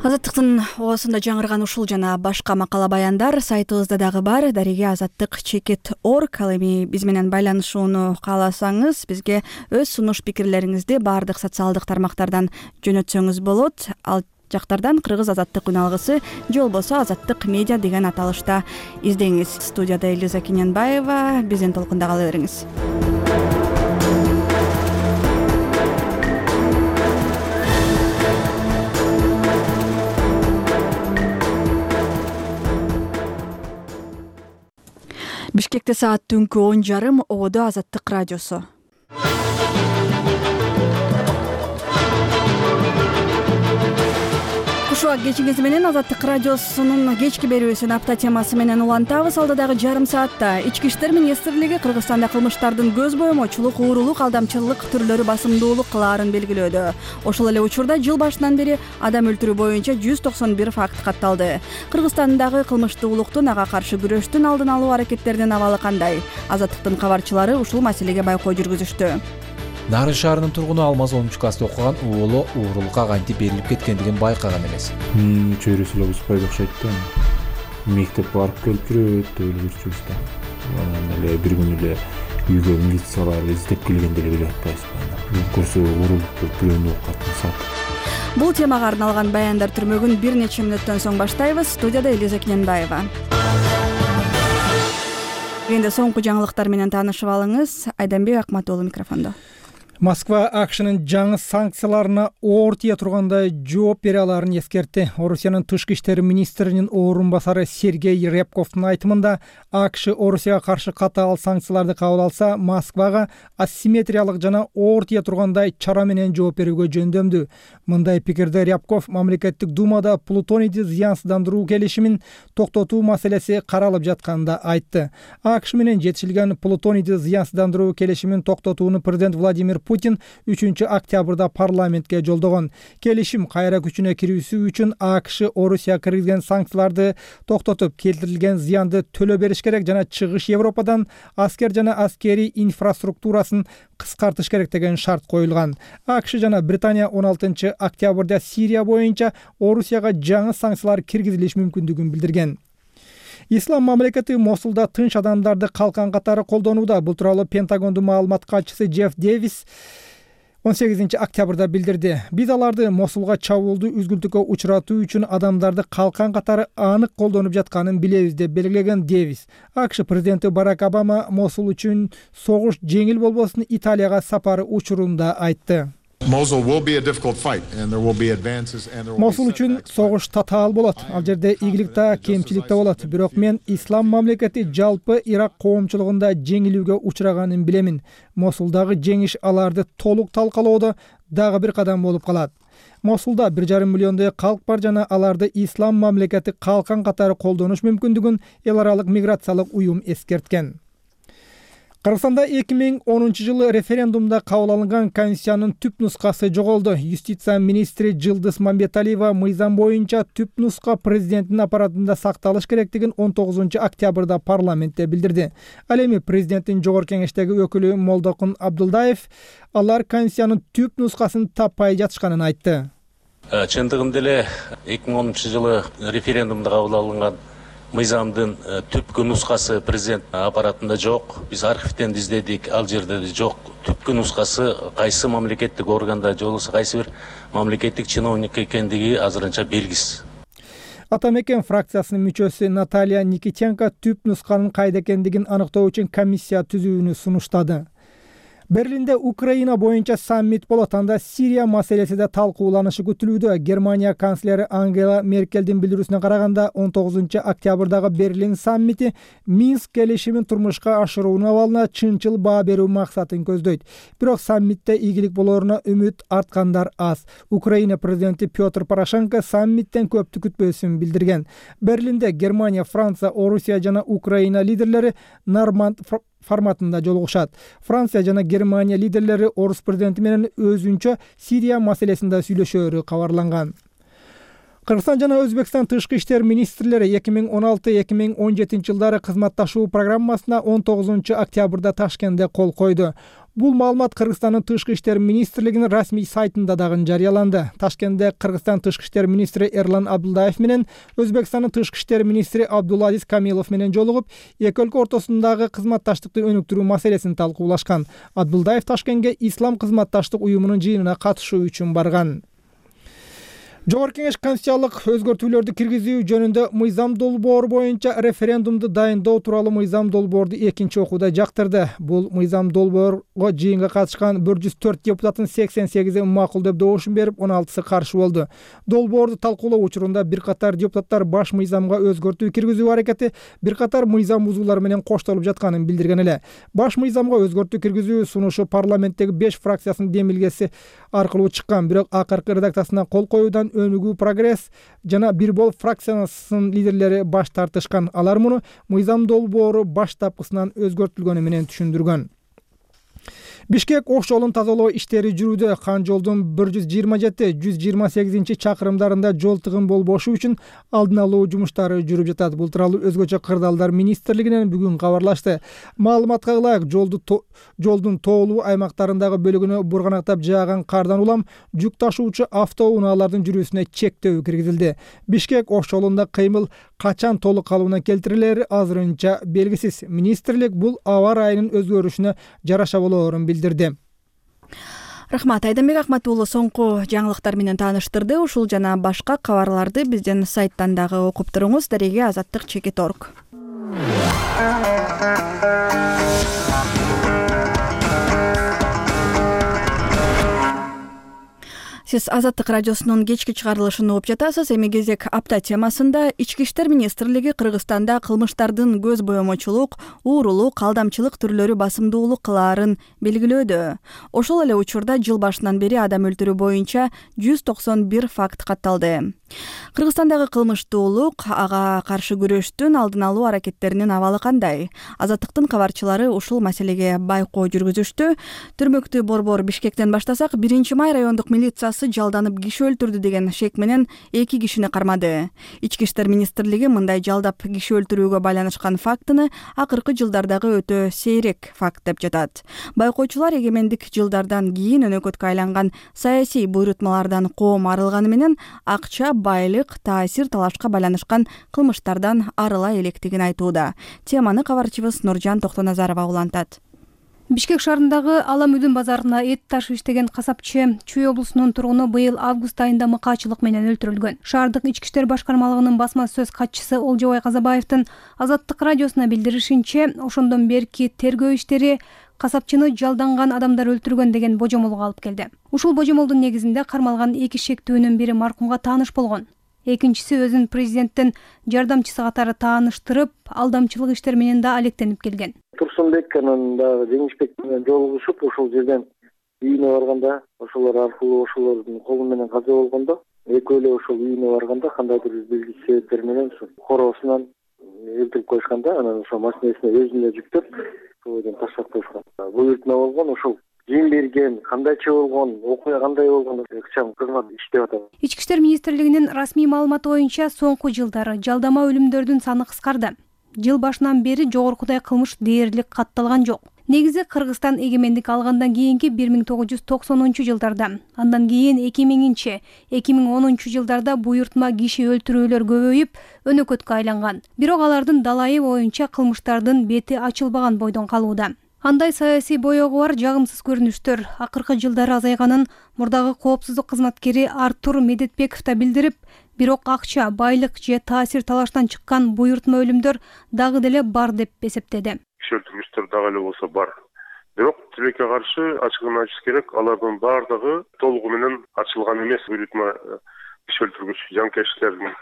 Азаттыктын оосунда жаңырган ушул жана башка макала баяндар сайтыбызда дагы бар. Дареге азаттык чекит орг. Ал эми биз менен байланышууну кааласаңыз, бизге өз сунуш пикирлериңизди баардык социалдык тармактардан жөнөтсөңүз болот. Ал жактардан Кыргыз азаттык үн алгысы же болбосо азаттык медиа деген аталышта издеңиз. Студияда Элиза Кененбаева, биздин толкунда кала бериңиз. Бишкекте саат түнкү он жарым, ободо Азаттык радиосу. Кушуак кечиңиз менен Азаттык радиосунун кечки берүүсүн апта темасы менен улантабыз. Алдыдагы жарым саатта Ички иштер министрлиги Кыргызстанда кылмыштардын көз боймочулук, уурулук, алдамчылык түрлөрү басымдуулук кылаарын белгилөөдө. Ошол эле учурда жыл башынан бери адам өлтүрүү боюнча жүз токсон бир факт катталды. Кыргызстандагы кылмыштуулуктун, ага каршы күрөштүн алдын алуу аракеттеринин абалы кандай? Азаттыктын кабарчылары ушул маселеге байкоо жүргүзүштү. Нарын шаарынын тургуну Алмаз онунчу класста окуган уулу уурулукка кантип берилип кеткендигин байкаган элес. Менин чөйрөсү эле бузбайт окшойт да. Мектеп барып келип жүрөт деп эле жүрчүбүз да. Анан эле бир күнү эле үйгө милициялар издеп келгенде эле билип атпайбызбы. Көрсө уурулуп бирөөнү окуп сат. Бул темага арналган баяндар түрмөгүн бир нече мүнөттөн соң баштайбыз. Студияда Элиза Кененбаева. Энди соңку жаңылыктар менен таанышып алыңыз. Айданбек Акматулы микрофондо. Москва АКШнын жаңы санкцияларына оор тие тургандай жооп бере аларын эскертти. Орусиянын тышкы иштер министринин орун басары Сергей Рябковдун айтымында, АКШ Орусияга каршы катаал санкцияларды кабыл алса, Москвага асимметриялык жана оор тие тургандай чара менен жооп берүүгө жөндөмдүү. Мындай пикирди Рябков мамлекеттик думада плутонийди зыянсыздандыруу келишимин токтотуу маселеси каралып жатканында айтты. АКШ менен жетишилген плутонийди зыянсыздандыруу келишимин токтотууну президент Владимир Путин үчүнчү октябрда парламентке жолдогон. Келишим кайра күчүнө кирүүсү үчүн АКШ Орусияга киргизген санкцияларды токтотуп, келтирилген зыянды төлөө бериш керек жана чыгыш Европадан аскер жана аскерий инфраструктурасын кыскартыш керек деген шарт коюлган. АКШ жана Британия он алтынчы октябрда Сирия боюнча Орусияга жаңы санкциялар киргизилиш мүмкүндүгүн билдирген. Ислам мамлекети Мосулда тынч адамдарды калкан катары колдонууда. Бул тууралуу Пентагондун маалымат катчысы Джефф Дэвис он сегизинчи октябрда билдирди. Биз аларды Мосулга чабуулду үзгүлтүккө учуратуу үчүн адамдарды калкан катары анык колдонуп жатканын билебиз деп белгилеген Дэвис. АКШ президенти Барак Обама Мосул үчүн согуш жеңил болбосун Италияга сапары учурунда айтты. Mosul will be a difficult fight and there will be advances and there will Мосул үчүн согуш татаал болот. Ал жерде ийгилик да, кемчилик да болот. Бирок мен ислам мамлекети жалпы Ирак коомчулугунда жеңилүүгө учураганын билемин. Мосулдагы жеңиш аларды толук талкалоодо дагы бир кадам болуп калат. Мосулда бир жарым миллиондой калк бар жана аларды ислам мамлекети калкан катары колдонуш мүмкүндүгүн эл аралык миграциялык уюм эскерткен. Кыргызстанда эки миң онунчу жылы референдумда кабыл алынган конституциянын түп нускасы жоголду. Юстиция министри Жылдыз Мамбеталиева мыйзам боюнча түп нуска президенттин аппаратында сакталыш керектигин он тогузунчу октябрда парламентте билдирди. Ал эми президенттин жогорку кеңештеги өкүлү Молдокун Абдулдаев алар конституциянын түп нускасын таппай жатышканын айтты. Чындыгында эле эки миң онунчу жылы референдумда кабыл алынган мыйзамдын түпкү нускасы президент аппаратында жок. Биз архивден издедик, ал жерде жок. Түпкү нускасы кайсы мамлекеттик органда же болбосо кайсы бир мамлекеттик чиновник экендиги азырынча белгисиз. Атамекен фракциясынын мүчөсү Наталья Никитенко түп нусканын кайда экендигин аныктоо үчүн комиссия түзүүнү сунуштады. Берлинде Украина боюнча саммит болот. Анда Сирия маселеси да талкууланышы күтүлүүдө. Германия канцлери Ангела Меркелдин билдирүүсүнө караганда он тогузунчу октябрдагы Берлин саммити Минск келишимин турмушка ашыруунун абалына чынчыл баа берүү максатын көздөйт. Бирок саммитте ийгилик болооруна үмүт арткандар аз. Украина президенти Петр Порошенко саммиттен көптү күтпөсүн билдирген. Берлинде Германия, Франция, Орусия жана Украина лидерлери Норманд форматында жолугушат. Франция жана Германия лидерлери орус президенти менен өзүнчө Сирия маселесинде сүйлөшөөрү кабарланган. Кыргызстан жана Өзбекстан тышкы иштер министрлери эки миң он алты эки миң он жетинчи жылдары кызматташуу программасына он тогузунчу октябрда Ташкентте кол койду. Бул маалымат Кыргызстандын тышкы иштер министрлигинин расмий сайтында дагы жарыяланды. Ташкентте Кыргызстан тышкы иштер министри Эрлан Абдулдаев менен Өзбекстандын тышкы иштер министри Абдулазиз Камилов менен жолугуп, эки өлкө ортосундагы кызматташтыкты өнүктүрүү маселесин талкуулашкан. Абдулдаев Ташкентке Ислам кызматташтык уюмунун жыйынына катышуу үчүн барган. Жогорку Кеңеш конституциялык өзгөртүүлөрдү киргизүү жөнүндө мыйзам долбоору боюнча референдумду дайындоо тууралуу мыйзам долбоорду экинчи окууда жактырды. Бул мыйзам долбоорго жыйынга катышкан бир жүз төрт депутаттын сексен сегизи макул деп добушун берип, он алтысы каршы болду. Долбоорду талкуулоо учурунда бир катар депутаттар баш мыйзамга өзгөртүү киргизүү аракети бир катар мыйзам бузуулары менен коштолуп жатканын билдирген эле. Баш мыйзамга өзгөртүү киргизүү сунушу парламенттеги беш фракциясынын демилгеси аркылуу чыккан, бирок акыркы редакциясына кол коюудан өнүгүү прогресс жана бир бол фракциясынын лидерлери баш тартышкан. Алар муну мыйзам долбоору баштапкысынан өзгөртүлгөнү менен түшүндүргөн. Бишкек ош жолун тазалоо иштери жүрүүдө. Кан жолдун бир жүз жыйырма жети жүз жыйырма сегизинчи чакырымдарында жол тыгын болбошу үчүн алдын алуу жумуштары жүрүп жатат. Бул тууралуу өзгөчө кырдаалдар министрлигинен бүгүн кабарлашты. Маалыматка ылайык, жолду жолдун тоолуу аймактарындагы бөлүгүнө бурганактап жааган кардан улам жүк ташуучу автоунаалардын жүрүүсүнө чектөө киргизилди. Бишкек ош жолунда кыймыл качан толук калыбына келтирилери азырынча белгисиз. Министрлик бул аба ырайынын өзгөрүшүнө жараша болоорун билдирди. Рахмат, Айданбек Ахмат уулу соңку жаңылыктар менен тааныштырды. Ушул жана башка кабарларды биздин сайттан дагы окуп туруңуз. Дареге азаттык чекит точка орг. Сиз Азаттык радиосунун кечки чыгарылышын угуп жатасыз. Эми кезек апта темасында Ички иштер министрлиги Кыргызстанда кылмыштардын көз боемочулук, уурулук, алдамчылык түрлөрү басымдуулук кылаарын белгилөөдө. Ошол эле учурда жыл башынан бери адам өлтүрүү боюнча жүз токсон бир факт катталды. Кыргызстандагы кылмыштуулук, ага каршы күрөштүн алдын алуу аракеттеринин абалы кандай? Азаттыктын кабарчылары ушул маселеге байкоо жүргүзүштү. Түрмөктүү борбор Бишкектен баштасак, биринчи май райондук милициясы жалданып киши өлтүрдү деген шек менен эки кишини кармады. Ички иштер министрлиги мындай жалдап киши өлтүрүүгө байланышкан фактыны акыркы жылдардагы өтө сейрек факт деп жатат. Байкоочулар эгемендик жылдардан кийин өнөкөткө айланган саясий буйрутмалардан коом арылганы менен акча, байлык, таасир, талашка байланышкан кылмыштардан арыла электигин айтууда. Теманы кабарчыбыз Нуржан Токтоназарова улантат. Бишкек шаарындагы Алам Үдүн базарына эт ташып иштеген касапчы Чүй облусунун тургуну быйыл август айында мыкаачылык менен өлтүрүлгөн. Шаардык ички иштер башкармалыгынын басма сөз катчысы Олжобай Казабаевдин Азаттык радиосуна билдиришинче, ошондон берки тергөө иштери касапчыны жалданган адамдар өлтүргөн деген божомолго алып келди. Ушул божомолдун негизинде кармалган эки шектүүнүн бири маркумга тааныш болгон. Экинчиси өзүн президенттин жардамчысы катары тааныштырып, алдамчылык иштер менен да алектенип келген. Турсунбек анан дагы Жеңишбек менен жолугушуп, ошол жерден үйүнө барганда, ошолор аркылуу ошолордун колу менен каза болгондо, экөөлөө ошол үйүнө барганда кандайдыр бир белгисиз себептер менен ошо короосунан өлтүрүп коюшканда, анан ошо машинесине өзүнө жүктөп, ошол жерден таштап коюшкан. Буйрутма болгон, ошол ким берген, кандайча болгон, окуя кандай болгон, ыкчам кызмат иштеп атат. Ички иштер министрлигинин расмий маалыматы боюнча соңку жылдары жалдама өлүмдөрдүн саны кыскарды. Жыл башынан бери жогоркудай кылмыш дээрлик катталган жок. Негизи Кыргызстан эгемендик алгандан кийинки бир миң тогуз жүз токсонунчу жылдарда, андан кийин эки миңинчи, эки миң онунчу жылдарда буйрутма киши өлтүрүүлөр көбөйүп, өнөкөткө айланган. Бирок алардын далайы боюнча кылмыштардын бети ачылбаган бойдон калууда. Андай саясий боёгу бар жагымсыз көрүнүштөр акыркы жылдары азайганын мурдагы коопсуздук кызматкери Артур Медетбеков да билдирип, бирок акча, байлык же таасир талаштан чыккан буйрутма өлүмдөр дагы деле бар деп эсептеди. Киши өлтүргүчтөр дагы эле болсо бар. Бирок тилекке каршы ачыгын айтыш керек, алардын баардыгы толугу менен ачылган эмес. Буйрутма киши өлтүргүч жанкечтердин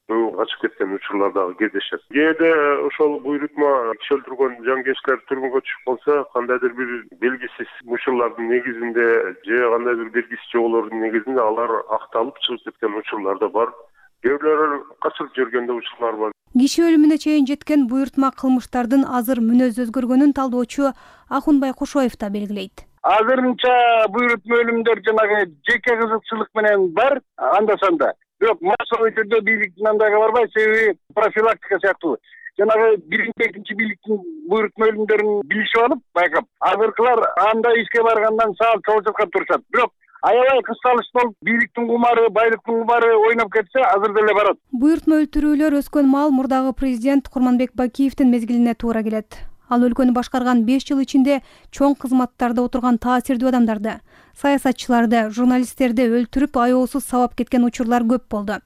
качып кеткен учурлар дагы кездешет. Кээде ошол буйрутма киши өлтүргөн жанкечтер түрмөгө түшүп калса, кандайдыр бир белгисиз учурлардын негизинде же кандайдыр белгисиз жоболордун негизинде алар акталып чыгып кеткен учурлар да бар. Кээ бирлери качырып жүргөндө учурлар бар. Киши өлүмүнө чейин жеткен буйрутма кылмыштардын азыр мүнөз өзгөргөнүн талдоочу Ахунбай Кошоев да белгилейт. Азырынча буйрутма өлүмдөр жанагы жеке кызыкчылык менен бар, анда санда. бирок массовый түрдө бийликтин андайга барбайт, себеби профилактика сыяктуу. Жанагы биринчи, экинчи бийликтин буйрутма өлүмдөрүн билишип алып, байкап, азыркылар андай ишке баргандан саал чогулчаткан турушат. Бирок аябай кыз салыш болуп, бийликтин кумары, байлыктын кумары ойноп кетсе, азыр деле барат. Буйрутма өлтүрүүлөр өскөн маал мурдагы президент Курманбек Бакиевдин мезгилине туура келет. Ал өлкөнү башкарган беш жыл ичинде чоң кызматтарда отурган таасирдүү адамдарды, саясатчыларды, журналисттерди өлтүрүп аяосуз сабап кеткен учурлар көп болду.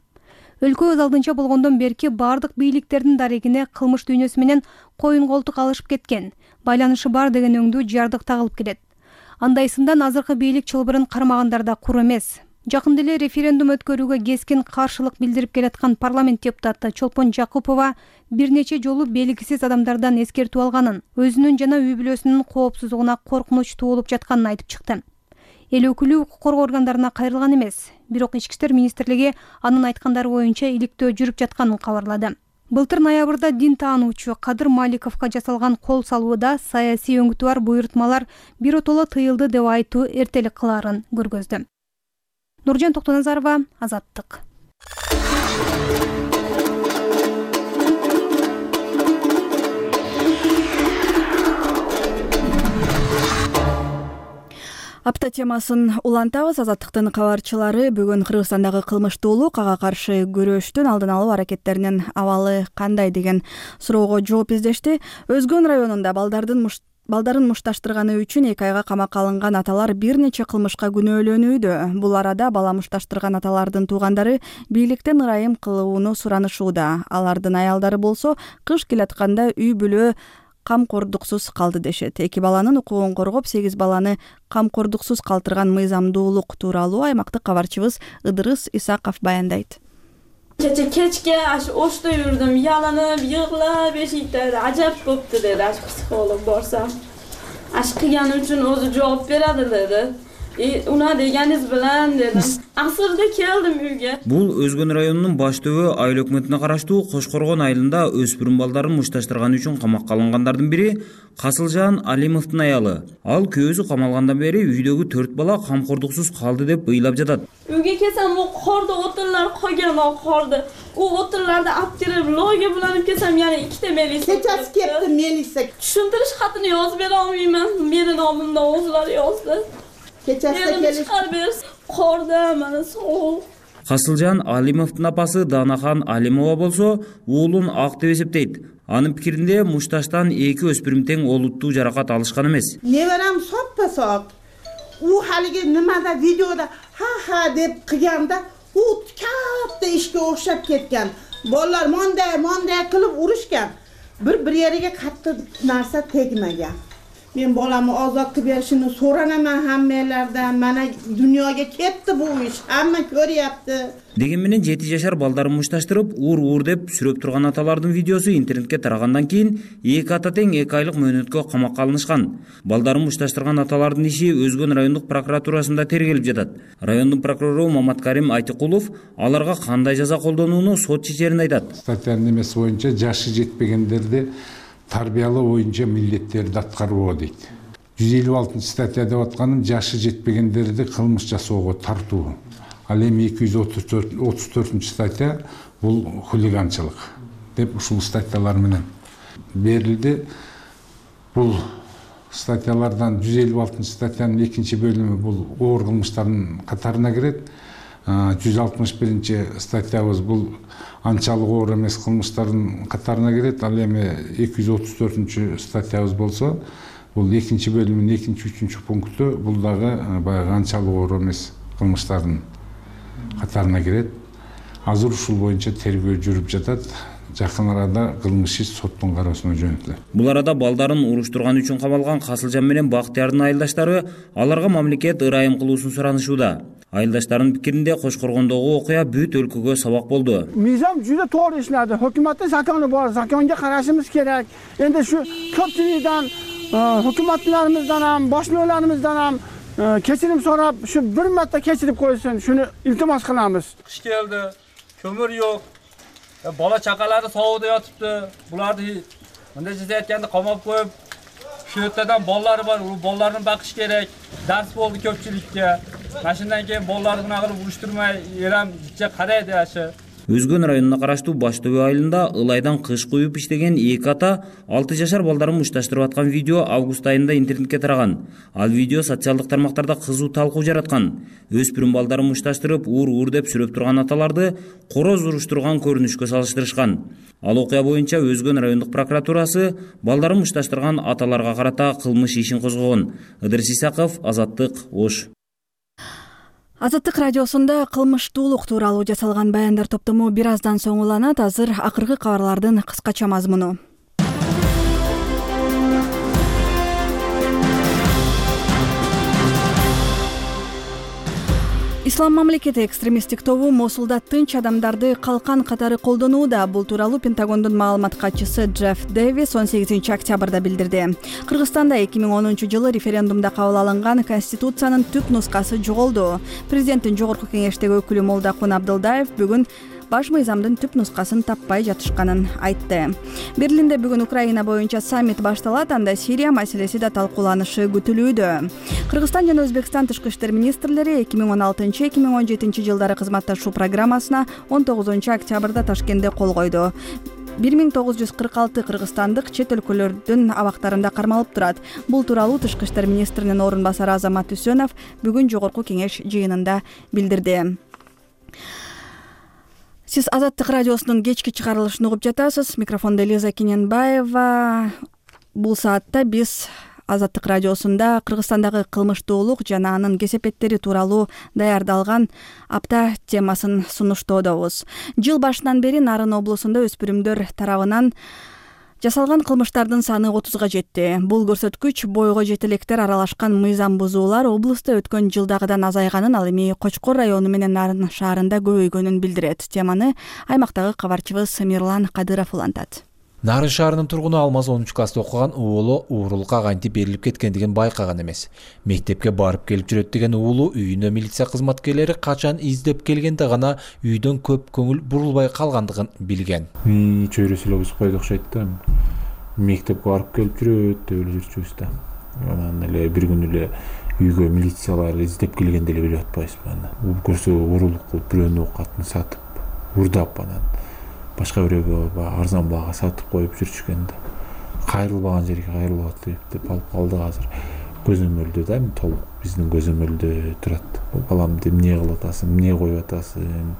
Өлкө өз алдынча болгондон берки бардык бийликтердин дарегине кылмыш дүйнөсү менен коюн колтук алышып кеткен, байланышы бар деген өңдүү жардык тагылып келет. Андайсындан азыркы бийлик чылбырын кармагандар да кур эмес. Жакында эле референдум өткөрүүгө кескин каршылык билдирип келаткан парламент депутаты Чолпон Жакупова бир нече жолу белгисиз адамдардан эскертүү алганын, өзүнүн жана үй бүлөсүнүн коопсуздугуна коркунуч туулуп жатканын айтып чыкты. Эл өкүлү укук коргоо органдарына кайрылган эмес, бирок Ички иштер министрлиги анын айткандары боюнча иликтөө жүрүп жатканын кабарлады. Былтыр ноябрда дин таануучу Кадыр Маликовго жасалган кол салууда саясий өңүтү бар буйрутмалар биротоло тыйылды деп айтуу эртелик кылаарын көргөздү. Нуржан Токтоназарова, Азаттык. Апта темасын улантабыз. Азаттыктын кабарчылары бүгүн Кыргызстандагы кылмыштуулук, ага каршы күрөштүн алдын алуу аракеттеринин абалы кандай деген суроого жооп издешти. Өзгөн районунда балдардын муш балдарын мушташтырганы үчүн эки айга камакка алынган аталар бир нече кылмышка күнөөлөнүүдө. Бул арада бала мушташтырган аталардын туугандары бийликтен ырайым кылууну суранышууда. Алардын аялдары болсо кыш келатканда үй бүлө камкордуксуз калды дешет. Эки баланын укугун коргоп, сегиз баланы камкордуксуз калтырган мыйзамдуулук тууралуу аймактык кабарчыбыз Ыдырыс Исаков баяндайт. Kecha kechga ash o'shda yurdim, yalinib, yig'lab, eshikda ajab bo'pti dedi ash psixolog borsam. Ash qilgani uchun o'zi javob beradi dedi. E, una deganiz bilan dedim. Asrda keldim uyga. Бул Өзгөн районунун баш түбү айыл өкмөтүнө караштуу Кошкоргон айылында өспүрүм балдарын мушташтырганы үчүн камакка алынгандардын бири Касылжан Алимовдун аялы. Ал күйөөсү камалгандан бери үйдөгү төрт бала камкордуксуз калды деп ыйлап жатат. Uyga kelsam u qorda o'tinlar qolgan o qorda. U o'tinlarni olib kelib loyga bulanib kelsam yana ikkita melisa. Kechasi keldi melisa. Tushuntirish xatini yozib bera olmayman. Meni nomimdan o'zlari yozdi. Kechasi kelib qorda mana sovuq. Касылжан Алимовдун апасы Данахан Алимова болсо уулун ак деп эсептейт. Анын пикиринде мушташтан эки өспүрүм тең олуттуу жаракат алышкан эмес. Неберам соппа-соп. У халиге nimada видеода ха-ха деп кылганда, у катта ишке окшоп кеткен. Балдар мондай, мондай кылып урушкан. Bir-bir yeriga катты нарса тегмеген. Men bolamni ozod qilib berishini so'ranaman hammalardan. Mana dunyoga ketdi bu ish. Hamma ko'ryapti. Деген менен жети жашар балдарын мушташтырып, ур-ур деп сүрөп турган аталардын видеосу интернетке тарагандан кийин эки ата тең эки айлык мөөнөткө камакка алынышкан. Балдарын мушташтырган аталардын иши Өзгөн райондук прокуратурасында тергелип жатат. Райондун прокурору Маматкарим Айтыкулов аларга кандай жаза колдонууну сот чечерин айтат. Статьянын немеси боюнча жашы жетпегендерди тарбиялоо боюнча милдеттерди аткаруу дейт. жүз элүү алтынчы статья деп атканым жашы жетпегендерди кылмыш жасоого тартуу. Ал эми эки жүз отуз төртүнчү статья бул хулиганчылык деп ушул статьялар менен берилди. Бул статьялардан жүз элүү алтынчы статьянын экинчи бөлүмү бул оор кылмыштардын катарына кирет. жүз алтымыш биринчи статьябыз бул анчалык оор эмес кылмыштардын катарына кирет. Ал эми эки жүз отуз төртүнчү статьябыз болсо бул экинчи бөлүмүнүн экинчи үчүнчү пункту бул дагы баягы анчалык оор эмес кылмыштардын катарына кирет. Азыр ушул боюнча тергөө жүрүп жатат. Жакын арада кылмыш иш соттун кароосуна жөнөтүлөт. Бул арада балдарын уруштурган үчүн камалган Касылжан менен Бактыярдын айылдаштары аларга мамлекет ырайым кылуусун суранышууда. Айылдаштардын пикиринде Кошкоргондогу окуя бүт өлкөгө сабак болду. Мыйзам жүзө туура иштеди. Hökүмөттүн закону бар, законго карашыбыз керек. Энди шу көпчүлүктөн, hökүмөтлөрүбүздөн ham, башмөөлөрүбүздөн ham кечирим сурап, шу бир марта кечирип койсун, шуну илтимос кылабыз. Кыш келди, көмүр жок. Бала чакалары соодо жатыпты. Буларды мындай жасайтканды камап коюп, шу өтөдөн баллары бар, у балларын бакыш керек. Дарс болду көпчүлүккө. Машиндан кийин болларды мына кылып уруштурмай элем же кадай деши. Өзгөн районуна караштуу Баш Төбө айылында ылайдан кыш куюп иштеген эки ата алты жашар балдарын мушташтырып аткан видео август айында интернетке тараган. Ал видео социалдык тармактарда кызуу талкуу жараткан. Өспүрүм балдарын мушташтырып, уур-уур деп сүрөп турган аталарды короз уруштурган көрүнүшкө салыштырышкан. Ал окуя боюнча Өзгөн райондук прокуратурасы балдарын мушташтырган аталарга карата кылмыш ишин козгогон. Ыдырыс Исаков, Азаттык, Ош. Азаттык радиосунда кылмыштуулук тууралуу жасалган баяндар топтому бир аздан соң уланат. Азыр акыркы кабарлардын кыскача мазмуну. Ислам мамлекети экстремисттик тобу Мосулда тынч адамдарды калкан катары колдонууда. Бул тууралуу Пентагондун маалымат катчысы Джефф Дэвис он сегизинчи октябрда билдирди. Кыргызстанда эки миң онунчу жылы референдумда кабыл алынган Конституциянын түп нускасы жоголду. Президенттин жогорку кеңештеги өкүлү Молдакун Абдылдаев бүгүн баш мыйзамдын түп нускасын таппай жатышканын айтты. Берлинде бүгүн Украина боюнча саммит башталат, анда Сирия маселеси да талкууланышы күтүлүүдө. Кыргызстан жана Өзбекстан тышкы иштер министрлери эки миң он алтынчы эки миң он жетинчи жылдары кызматташуу программасына он тогузунчу октябрда Ташкентте кол койду. бир миң тогуз жүз кырк алты кыргызстандык чет өлкөлөрдүн абактарында кармалып турат. Бул тууралуу тышкы иштер министринин орун басары Азамат Үсөнов бүгүн жогорку кеңеш жыйынында билдирди. Сиз Азаттык радиосунун кечки чыгарылышын угуп жатасыз. Микрофондо Лиза Кененбаева. Бул саатта биз Азаттык радиосунда Кыргызстандагы кылмыштуулук жана анын кесепеттери тууралуу даярдалган апта темасын сунуштоодобуз. Жыл башынан бери Нарын облусунда өспүрүмдөр тарабынан жасалган кылмыштардын саны отузга жетти. Бул көрсөткүч бойго жетелектер аралашкан мыйзам бузуулар облустта өткөн жылдагыдан азайганын, ал эми Кочкор району менен Нарын шаарында көбөйгөнүн билдирет. Теманы аймактагы кабарчыбыз Мирлан Кадыров улантат. Нарын шаарынын тургуну Алмаз онунчу класста окуган уулу уурулукка кантип берилип кеткендигин байкаган эмес. Мектепке барып келип жүрөт деген уулу үйүнө милиция кызматкерлери качан издеп келгенде гана үйдөн көп көңүл бурулбай калгандыгын билген. Чөйрөсү эле узбайт окшойт да. Мектепке барып келип жүрөт деп эле жүрчүбүз да. Анан эле бир күн эле үйгө милициялар издеп келгенде эле билип атпайбызбы аны. Бул көрсө уурулук кылып бирөөнү катын сатып, урдап анан башка бирөөгө арзан баага сатып коюп жүрчүкөн да. Кайрылбаган жерге кайрылып деп алып калдык азыр. Көзөмөлдө да, толук биздин көзөмөлдө турат. Балам деп эмне кылып атасың, эмне коюп атасың?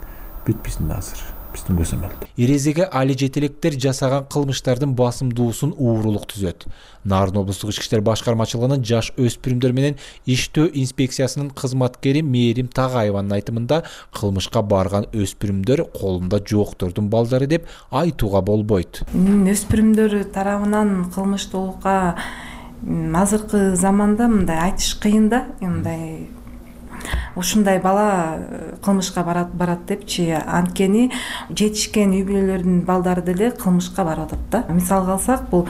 Бүт биздин азыр биздин көзөмөлдө. Эрезеге али жетелектер жасаган кылмыштардын басымдуусун уурулук түзөт. Нарын облустук ички иштер башкармачылыгынын жаш өспүрүмдөр менен иштөө инспекциясынын кызматкери Мээрим Тагаеванын айтымында кылмышка барган өспүрүмдөр колунда жооктордун балдары деп айтууга болбойт. Өспүрүмдөр тарабынан кылмыштуулукка азыркы заманда мындай айтыш кыйын да, мындай ушундай бала кылмышка барат барат депчи, анткени жетишкен үй бүлөлөрдүн балдары деле кылмышка барып атат да. Мисалга алсак, бул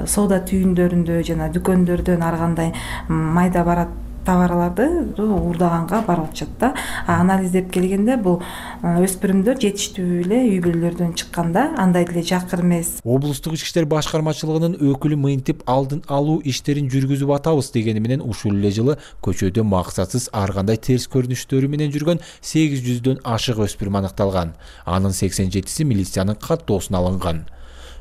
соода түйүндөрүндө жана дүкөндөрдөн ар кандай майда барат товарларды уурдаганга барып атышат да. Анализдеп келгенде бул өспүрүмдөр жетиштүү эле үй бүлөлөрдөн чыкканда, андай деле жакыр эмес. Облустук ички иштер башкармачылыгынын өкүлү мынтип алдын алуу иштерин жүргүзүп атабыз дегени менен ушул эле жылы көчөдө максатсыз ар кандай терс көрүнүштөрү менен жүргөн сегиз жүздөн ашык өспүрүм аныкталган. Анын сексен жетиси милициянын каттоосуна алынган.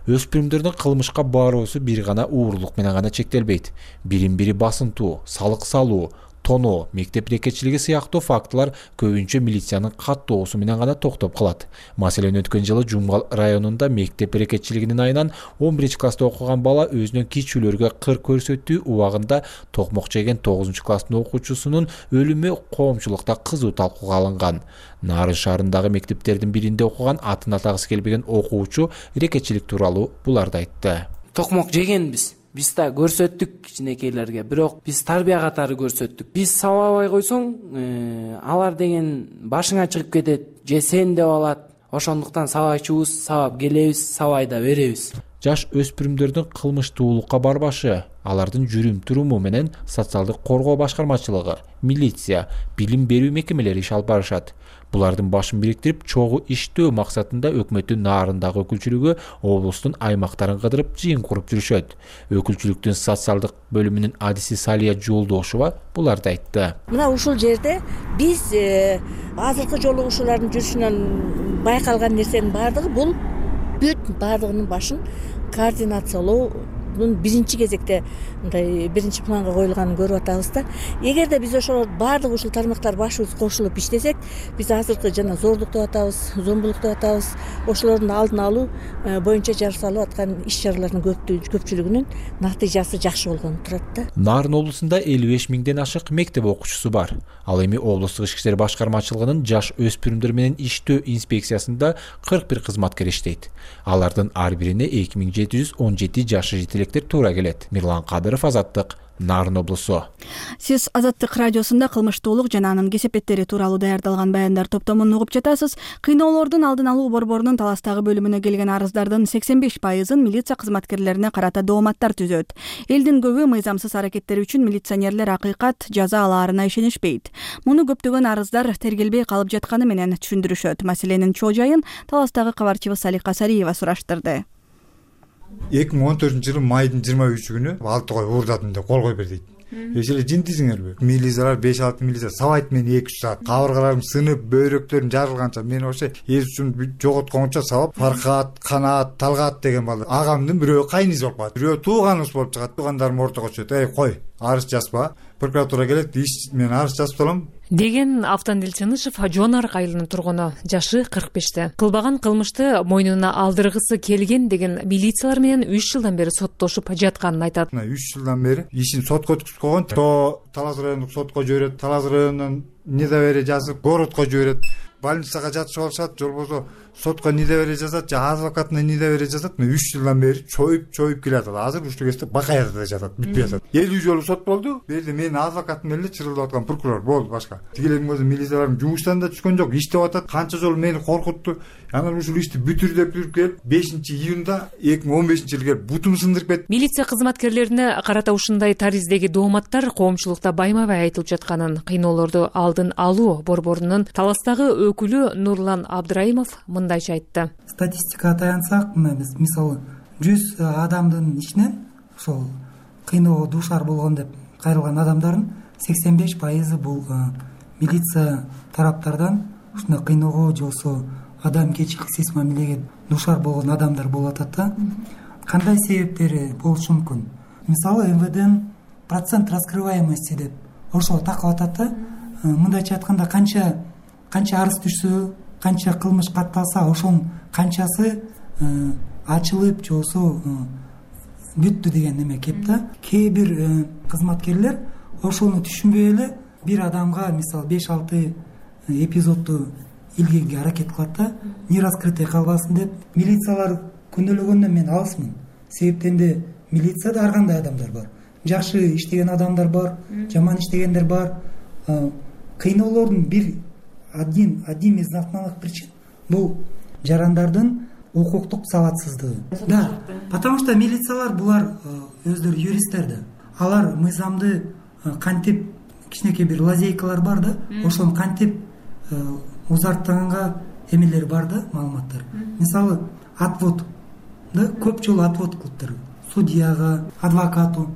Өспүрүмдөрдүн кылмышка баруусу бир гана уурулук менен гана чектелбейт. Бирин бири басынтуу, салык салуу, тоноо, мектеп рекетчилиги сыяктуу фактылар көбүнчө милициянын каттоосу менен гана токтоп калат. Маселен, өткөн жылы Жумгал районунда мектеп рекетчилигинин айынан он биринчи класста окуган бала өзүнүн кичүүлөргө кыр көрсөтүү убагында токмок жеген тогузунчу класстын окуучусунун өлүмү коомчулукта кызуу талкууга алынган. Нарын шаарындагы мектептердин биринде окуган атын атагысы келбеген окуучу рекетчилик тууралуу буларды айтты. Токмок жегенбиз. Биз да көрсөттүк кичинекейлерге, бирок биз тарбия катары көрсөттүк. Биз сабабай койсоң, э, алар деген башыңа чыгып кетет, же сен деп алат. Ошондуктан сабайчубуз, сабап келебиз, сабай да беребиз. Жаш өспүрүмдөрдүн кылмыштуулукка барбашы алардын жүрүм туруму менен социалдык коргоо башкармачылыгы, милиция, билим берүү мекемелери иш алып барышат. Булардын башын бириктирип, чогуу иштөө максатында өкмөттүн нарындагы өкүлчүлүгү облустун аймактарын кыдырып жыйын куруп жүрүшөт. Өкүлчүлүктүн социалдык бөлүмүнүн адиси Салия Жолдошова буларды айтты. Мына ушул жерде биз азыркы жолугушуулардын жүрүшүнөн байкалган нерсенин баардыгы бул бүт баардыгынын башын координациялоо биринчи кезекте мындай биринчи планга коюлганын көрүп атабыз да. Эгерде биз ошол баардык ушул тармактар башыбыз кошулуп иштесек, биз азыркы жана зордук деп атабыз, зомбулук деп атабыз, ошолордун алдын алуу боюнча жасалып аткан иш-чаралардын көпчүлүгүнүн натыйжасы жакшы болгону турат да. Нарын облусунда элүү беш миңден ашык мектеп окуучусу бар. Ал эми облустук ички иштер башкармачылыгынын жаш өспүрүмдөр менен иштөө инспекциясында кырк бир кызматкер иштейт. Алардын ар бирине эки миң жети жүз он жети жашы жетелектер туура келет. Мирлан Кадыров, Азаттык, Нарын облусу. Сиз Азаттык радиосунда кылмыштуулук жана анын кесепеттери тууралуу даярдалган баяндар топтомун угуп жатасыз. Кыйноолордун алдын алуу борборунун Таластагы бөлүмүнө келген арыздардын сексен беш пайызын милиция кызматкерлерине карата дооматтар түзөт. Элдин көбү мыйзамсыз аракеттери үчүн милиционерлер акыйкат жаза алаарына ишенишпейт. Муну көптөгөн арыздар тергелбей калып жатканы менен түшүндүрүшөт. Маселенин чоо жайын Таластагы кабарчыбыз Салика Сариева сураштырды. эки миң он төртүнчү жылы майдын жыйырма үчү күнү алты кой уурдадым деп кол койбер дейт. Эшеле жинтисиңерби? Милициялар беш алты милиция сабайт мени эки үч саат. Кабыргаларым сынып, бөйрөктөрүм жарылганча мен ошо эс үчүн жоготкончо сабап, Фаркат, Канаат, Талгат деген бала агамдын бирөө кайнизи болуп калат. Бирөө тууганыбыз болуп чыгат. Туугандарым ортого чыгат. Эй, кой, арыз жазба. Прокуратура келет, иш мен арыз жазып алам деген Автандил Чынышев Жон Арык айылынын тургуну, жашы кырк беште. Кылбаган кылмышты мойнуна алдыргысы келген деген милициялар менен үч жылдан бери соттошуп жатканын айтат. үч жылдан бери ишин сотко өткүзүп койгон. То Талас райондук сотко жиберет, Талас районунан недоверие жазып, городко жиберет. Больницага жатышып алышат, же болбосо сотко недоверие жазат, же адвокатына недоверие жазат. үч жылдан бери чоюп чоюп келатат. Азыр ушул кезде Бакаярда жатат, бүтпөй жатат. элүү жолу сот болду. Берди менин адвокатым менен эле чырылдап аткан прокурор болду башка. Тигилердин көзү милициялардын жумуштан да түшкөн жок, иштеп атат. Канча жолу мени коркутту. Анан ушул ишти бүтүр деп жүрүп келип, бешинчи июнда эки миң он бешинчи жылы келип бутум сындырып кетти. Милиция кызматкерлерине карата ушундай тариздеги дооматтар коомчулукта байма-бай айтылып жатканын кыйноолорду алдын алуу борборунун Таластагы өкүлү Нурлан Абдраимов мындайча айтты. Статистикага таянсак, мына биз мисалы жүз адамдын ичинен ошол кыйноого дуушар болгон деп кайрылган адамдардын сексен беш пайызы бул милиция тараптардан ушундай кыйноого же болбосо адамгерчиликсиз мамилеге дуушар болгон адамдар болуп атат да. Кандай себептери болушу мүмкүн? Мисалы эм вэ дэнин процент раскрываемости деп ошого такап атат да. Мындайча айтканда канча канча арыз түшсө, канча кылмыш катталса, ошонун канчасы ачылып же болбосо бүттү деген неме кеп да. Кээ бир кызматкерлер ошону түшүнбөй эле бир адамга мисалы беш алты эпизодду илгенге аракет кылат да, не раскрытый калбасын деп. Милициялар күнөөлөгөндөн мен алысмын. Себептен де милицияда ар кандай адамдар бар. Жакшы иштеген адамдар бар, жаман иштегендер бар. Кыйноолордун бир один один из основных причин бул жарандардын укуктук сабатсыздыгы. Да, потому что милициялар булар өздөрү юристтер да. Алар мыйзамды кантип кичинекей бир лазейкалар бар да, ошону кантип узарттаганга эмелери бар да, маалыматтар. Мисалы, отвод да, көп жолу отвод кылыптыр. Судьяга, адвокату,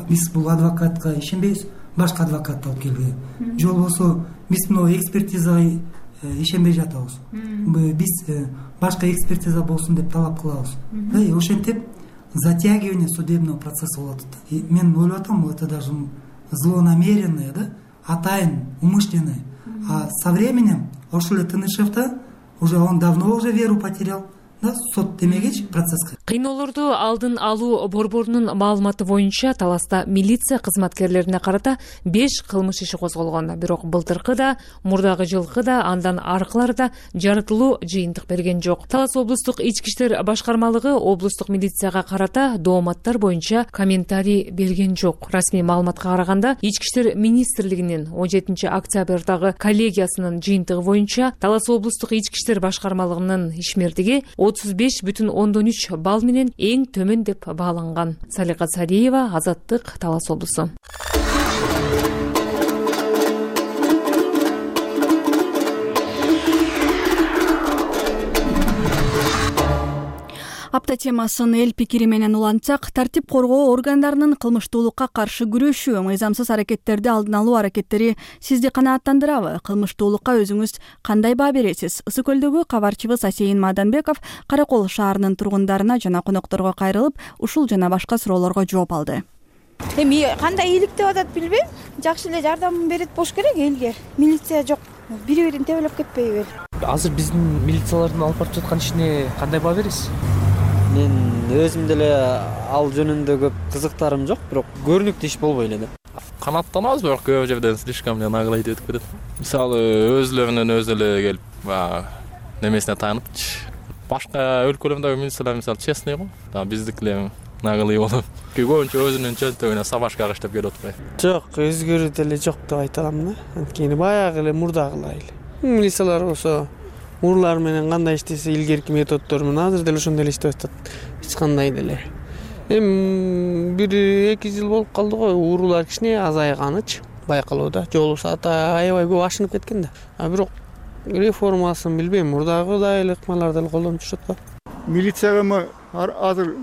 биз бул адвокатка ишенбейбиз, башка адвокатты алып келгиле. Же болбосо биз мына экспертизага ишенбей жатабыз. Биз башка экспертиза болсун деп талап кылабыз. Да, и ошентип затягивание судебного процесса болот. Мен ойлоп атам, это даже злонамеренное, да, атайын, умышленное. А со временем ошол эле Тынышевда уже он давно уже веру потерял. Да, сот демегечи процесске. Кыйноолорду алдын алуу борборунун маалыматы боюнча Таласта милиция кызматкерлерине карата беш кылмыш иши козголгон. Бирок былтыркы да, мурдагы жылкы да, андан аркылары да жарытылуу жыйынтык берген жок. Талас облустук ички иштер башкармалыгы облустук милицияга карата дооматтар боюнча комментарий берген жок. Расмий маалыматка караганда, ички иштер министрлигинин он жетинчи октябрдагы коллегиясынын жыйынтыгы боюнча Талас облустук ички иштер башкармалыгынын ишмердиги отуз беш бүтүн ондон үч балл ал менен эң төмөн деп бааланган. Салика Сариева, Азаттык, Талас облусу. Апта темасын эл пикири менен улантсак, тартип коргоо органдарынын кылмыштуулукка каршы күрөшүү, мыйзамсыз аракеттерди алдын алуу аракеттери сизди канааттандырабы? Кылмыштуулукка өзүңүз кандай баа бересиз? Ысык көлдөгү кабарчыбыз Асейин Маданбеков Каракол шаарынын тургундарына жана конокторго кайрылып, ушул жана башка суроолорго жооп алды. Эми кандай ийгилик деп атат билбейм. Жакшы эле жардам берет болуш керек элге. Милиция жок. Бири-бирин тебелеп кетпейби? Азыр биздин милициялардын алып барып жаткан ишине кандай баа бересиз? Мен өзүм деле ал жөнүндө көп кызыктарым жок, бирок көрүнүктүү иш болбой эле да. Канааттанабыз, бирок көп жерден слишком наглый этип кетет. Мисалы, өзлөрүнүн өзү эле келип, баягы немесине таанып, башка өлкөлөрдөгү милициялар мисалы честный го, биздикилер наглый болуп, көбүнчө өзүнүн чөнтөгүнө сабашка каштап келип отпайбы? Жок, өзгөрүү деле жок деп айта алам да. Анткени баягы эле мурдагылай эле. Милициялар болсо урлар менен кандай иштесе илгерки методдор менен азыр деле ошондой эле иштеп атат. Эч кандай деле. Эми бир эки жыл болуп калды го, уруулар кичине азайганычы байкалууда. Жол сааты аябай көп ашынып кеткен да. А бирок реформасын билбейм, мурдагыдай эле ыкмаларды эле колдонуп жүрүшөт го. Милицияга азыр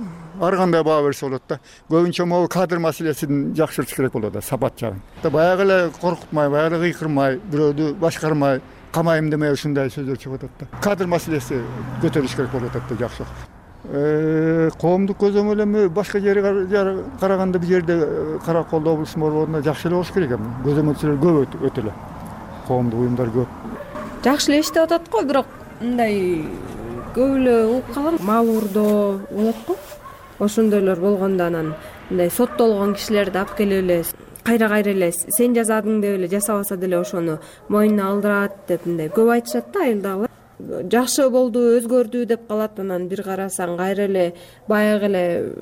ар кандай баа берсе болот да. Көбүнчө могу кадр маселесин жакшыртыш керек болот да, сапат жагын. Баягы эле коркутмай, баягы эле кыйкырмай, бирөөдү башкармай, камайым демей ушундай сөздөр чыгып атат да. Кадр маселеси көтөрүлүш керек болуп атат да, жакшы. Э, коомдук көзөмөл эми башка жерге караганда бул жерде Каракол облусунун борборунда жакшы эле болуш керек эми. Көзөмөлчүлөр көп өтө эле. Коомдук уюмдар көп. Жакшы эле иштеп атат го, бирок мындай көп эле угуп калган маалуурдоо болот го. Ошондойлор болгондо анан мындай соттолгон кишилерди алып келип эле кайра-кайра эле сен жасадың деп эле жасабаса деле ошону мойнуна алдырат деп мындай көп айтышат да айылдагылар. Жакшы болду, өзгөрдү деп калат, анан бир карасаң кайра эле баягы эле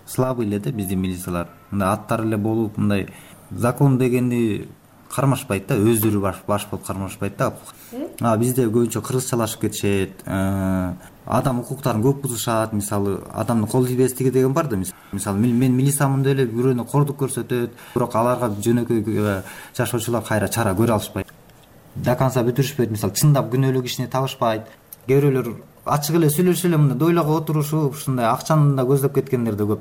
слабый эле да биздин милициялар. Мындай аттар эле болуп, мындай закон дегенди кармашпайт да, өздөрү баш баш болуп кармашпайт да. А бизде көбүнчө кыргызчалашып кетишет, адам укуктарын көп бузушат. Мисалы, адамдын кол тийбестиги деген бар да. Мисалы, мен милициямын деп эле бирөөнө кордук көрсөтөт, бирок аларга жөнөкөй жашоочулар кайра чара көрө алышпайт. До конца бүтүрүшпөйт. Мисалы, чындап күнөөлүү кишини табышпайт. Кээ бирөөлөр ачык эле сүйлөшүп эле мындай дойлого отурушуп, ушундай акчаны да көздөп кеткендер да көп.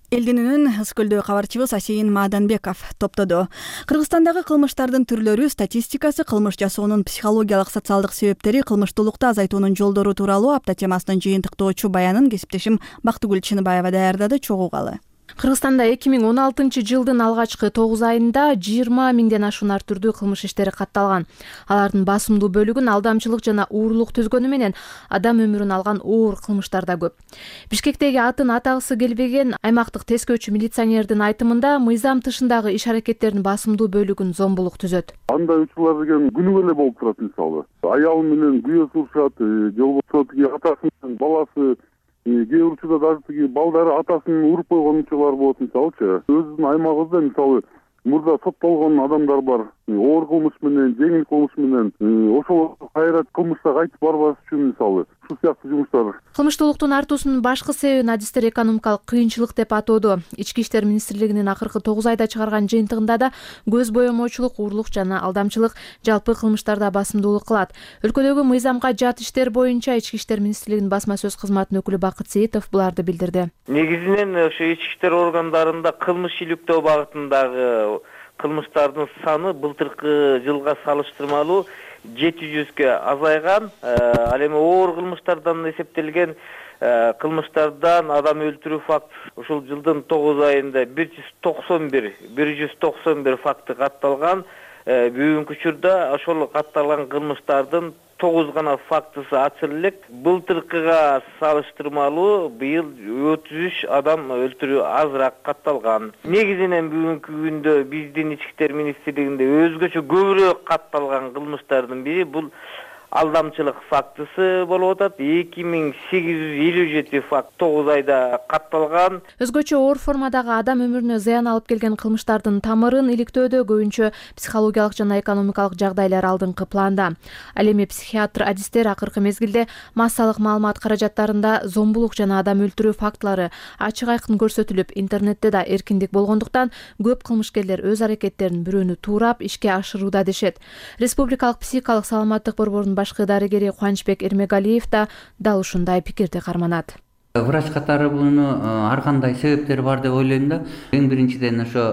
Элдинүүнүн Ысык-Көлдөгү кабарчыбыз Асейин Маданбеков топтоду. Кыргызстандагы кылмыштардын түрлөрү, статистикасы, кылмыш жасоонун психологиялык, социалдык себептери, кылмыштуулукту азайтуунун жолдору тууралуу апта темасынын жыйынтыктоочу баянын кесиптешим Бактыгүл Чыныбаева даярдады, чогуу калы. Кыргызстанда эки миң он алтынчы жылдын алгачкы тогуз айында жыйырма миңден ашуун ар түрдүү кылмыш иштери катталган. Алардын басымдуу бөлүгүн алдамчылык жана уурулук түзгөнү менен адам өмүрүн алган оор кылмыштар да көп. Бишкектеги атын атагысы келбеген аймактык тескөөчү милиционердин айтымында мыйзам тышындагы иш аракеттердин басымдуу бөлүгүн зомбулук түзөт. Андай учурлар деген күнүгө эле болуп турат. Мисалы, аялы менен күйөөсү урушат, же болбосо тиги атасы менен баласы, кээ учурда даже тиги балдары атасын уруп койгон учурлар болот. Мисалычы, өзүбүздүн аймагыбызда мисалы мурда соттолгон адамдар бар. Оор кылмыш менен, жеңил кылмыш менен, ошол кайра кылмышка кайтып барбаш үчүн мисалы ушул сыяктуу жумуштар. Кылмыштуулуктун артуусунун башкы себебин адистер экономикалык кыйынчылык деп атоодо. Ички иштер министрлигинин акыркы тогуз айда чыгарган жыйынтыгында да көз боемоочулук, уурулук жана алдамчылык жалпы кылмыштарда басымдуулук кылат. Өлкөдөгү мыйзамга жат иштер боюнча Ички иштер министрлигинин басма сөз кызматынын өкүлү Бакыт Сейитов буларды билдирди. Негизинен ошо ички иштер органдарында кылмыш иликтөө багытындагы кылмыштардын саны былтыркы жылга салыштырмалуу жети жүзгө азайган. Ал эми оор кылмыштардан эсептелген кылмыштардан адам өлтүрүү фактысы ушул жылдын тогуз айында бир жүз токсон бир бир жүз токсон бир факты катталган. Бүгүнкү учурда ошол катталган кылмыштардын тогуз гана фактысы ачылып элек. Былтыркыга салыштырмалуу быйыл отуз үч адам өлтүрүү азыраак катталган. Негизинен бүгүнкү күндө биздин ички иштер министрлигинде өзгөчө көбүрөөк катталган кылмыштардын бири бул алдамчылык фактысы болуп атат. эки миң сегиз жүз элүү жети факт тогуз айда катталган. Өзгөчө оор формадагы адам өмүрүнө зыян алып келген кылмыштардын тамырын иликтөөдө көбүнчө психологиялык жана экономикалык жагдайлар алдыңкы планда. Ал эми психиатр адистер акыркы мезгилде массалык маалымат каражаттарында зомбулук жана адам өлтүрүү фактылары ачык айкын көрсөтүлүп, интернетте да эркиндик болгондуктан көп кылмышкерлер өз аракеттерин бирөөнү туурап ишке ашырууда дешет. Республикалык психикалык саламаттык борборунун башкы дарыгери Кубанычбек Эрмегалиев да дал ушундай пикирди карманат. Врач катары буну ар кандай себептери бар деп ойлойм да. Эң биринчиден ошо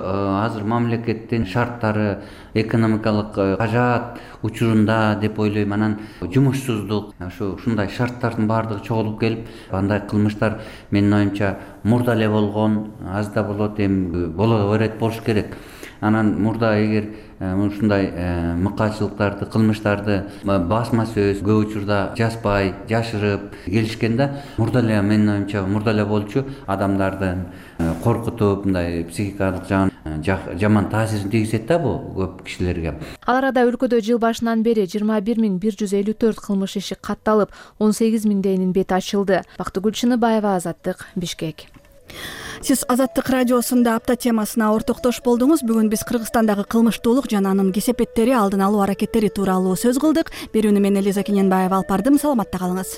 азыр мамлекеттин шарттары, экономикалык кажаат учурунда деп ойлойм. Анан жумушсуздук, ошо ушундай шарттардын баардыгы чогулуп келип, андай кылмыштар менин оюмча мурда эле болгон, аз да болот, эми боло берет болуш керек. Анан мурда эгер ушундай мыкаачылыктарды, кылмыштарды басма сөз көп учурда жазбай, жашырып келишкен да, мурда эле менин оюмча мурда эле болчу адамдардын коркутуп, мындай психикалык жаман таасирин тийгизет да бул көп кишилерге. Ал арада өлкөдө жыл башынан бери жыйырма бир миң бир жүз элүү төрт кылмыш иши катталып, он сегиз миңдейинин бети ачылды. Бактыгүл Чыныбаева, Азаттык, Бишкек. Сиз Азаттык радиосунда апта темасына ортоктош болдуңуз. Бүгүн биз Кыргызстандагы кылмыштуулук жана анын кесепеттери, алдын алуу аракеттери тууралуу сөз кылдык. Берүүнү мен Элиза Кененбаева алып бардым. Саламатта калыңыз.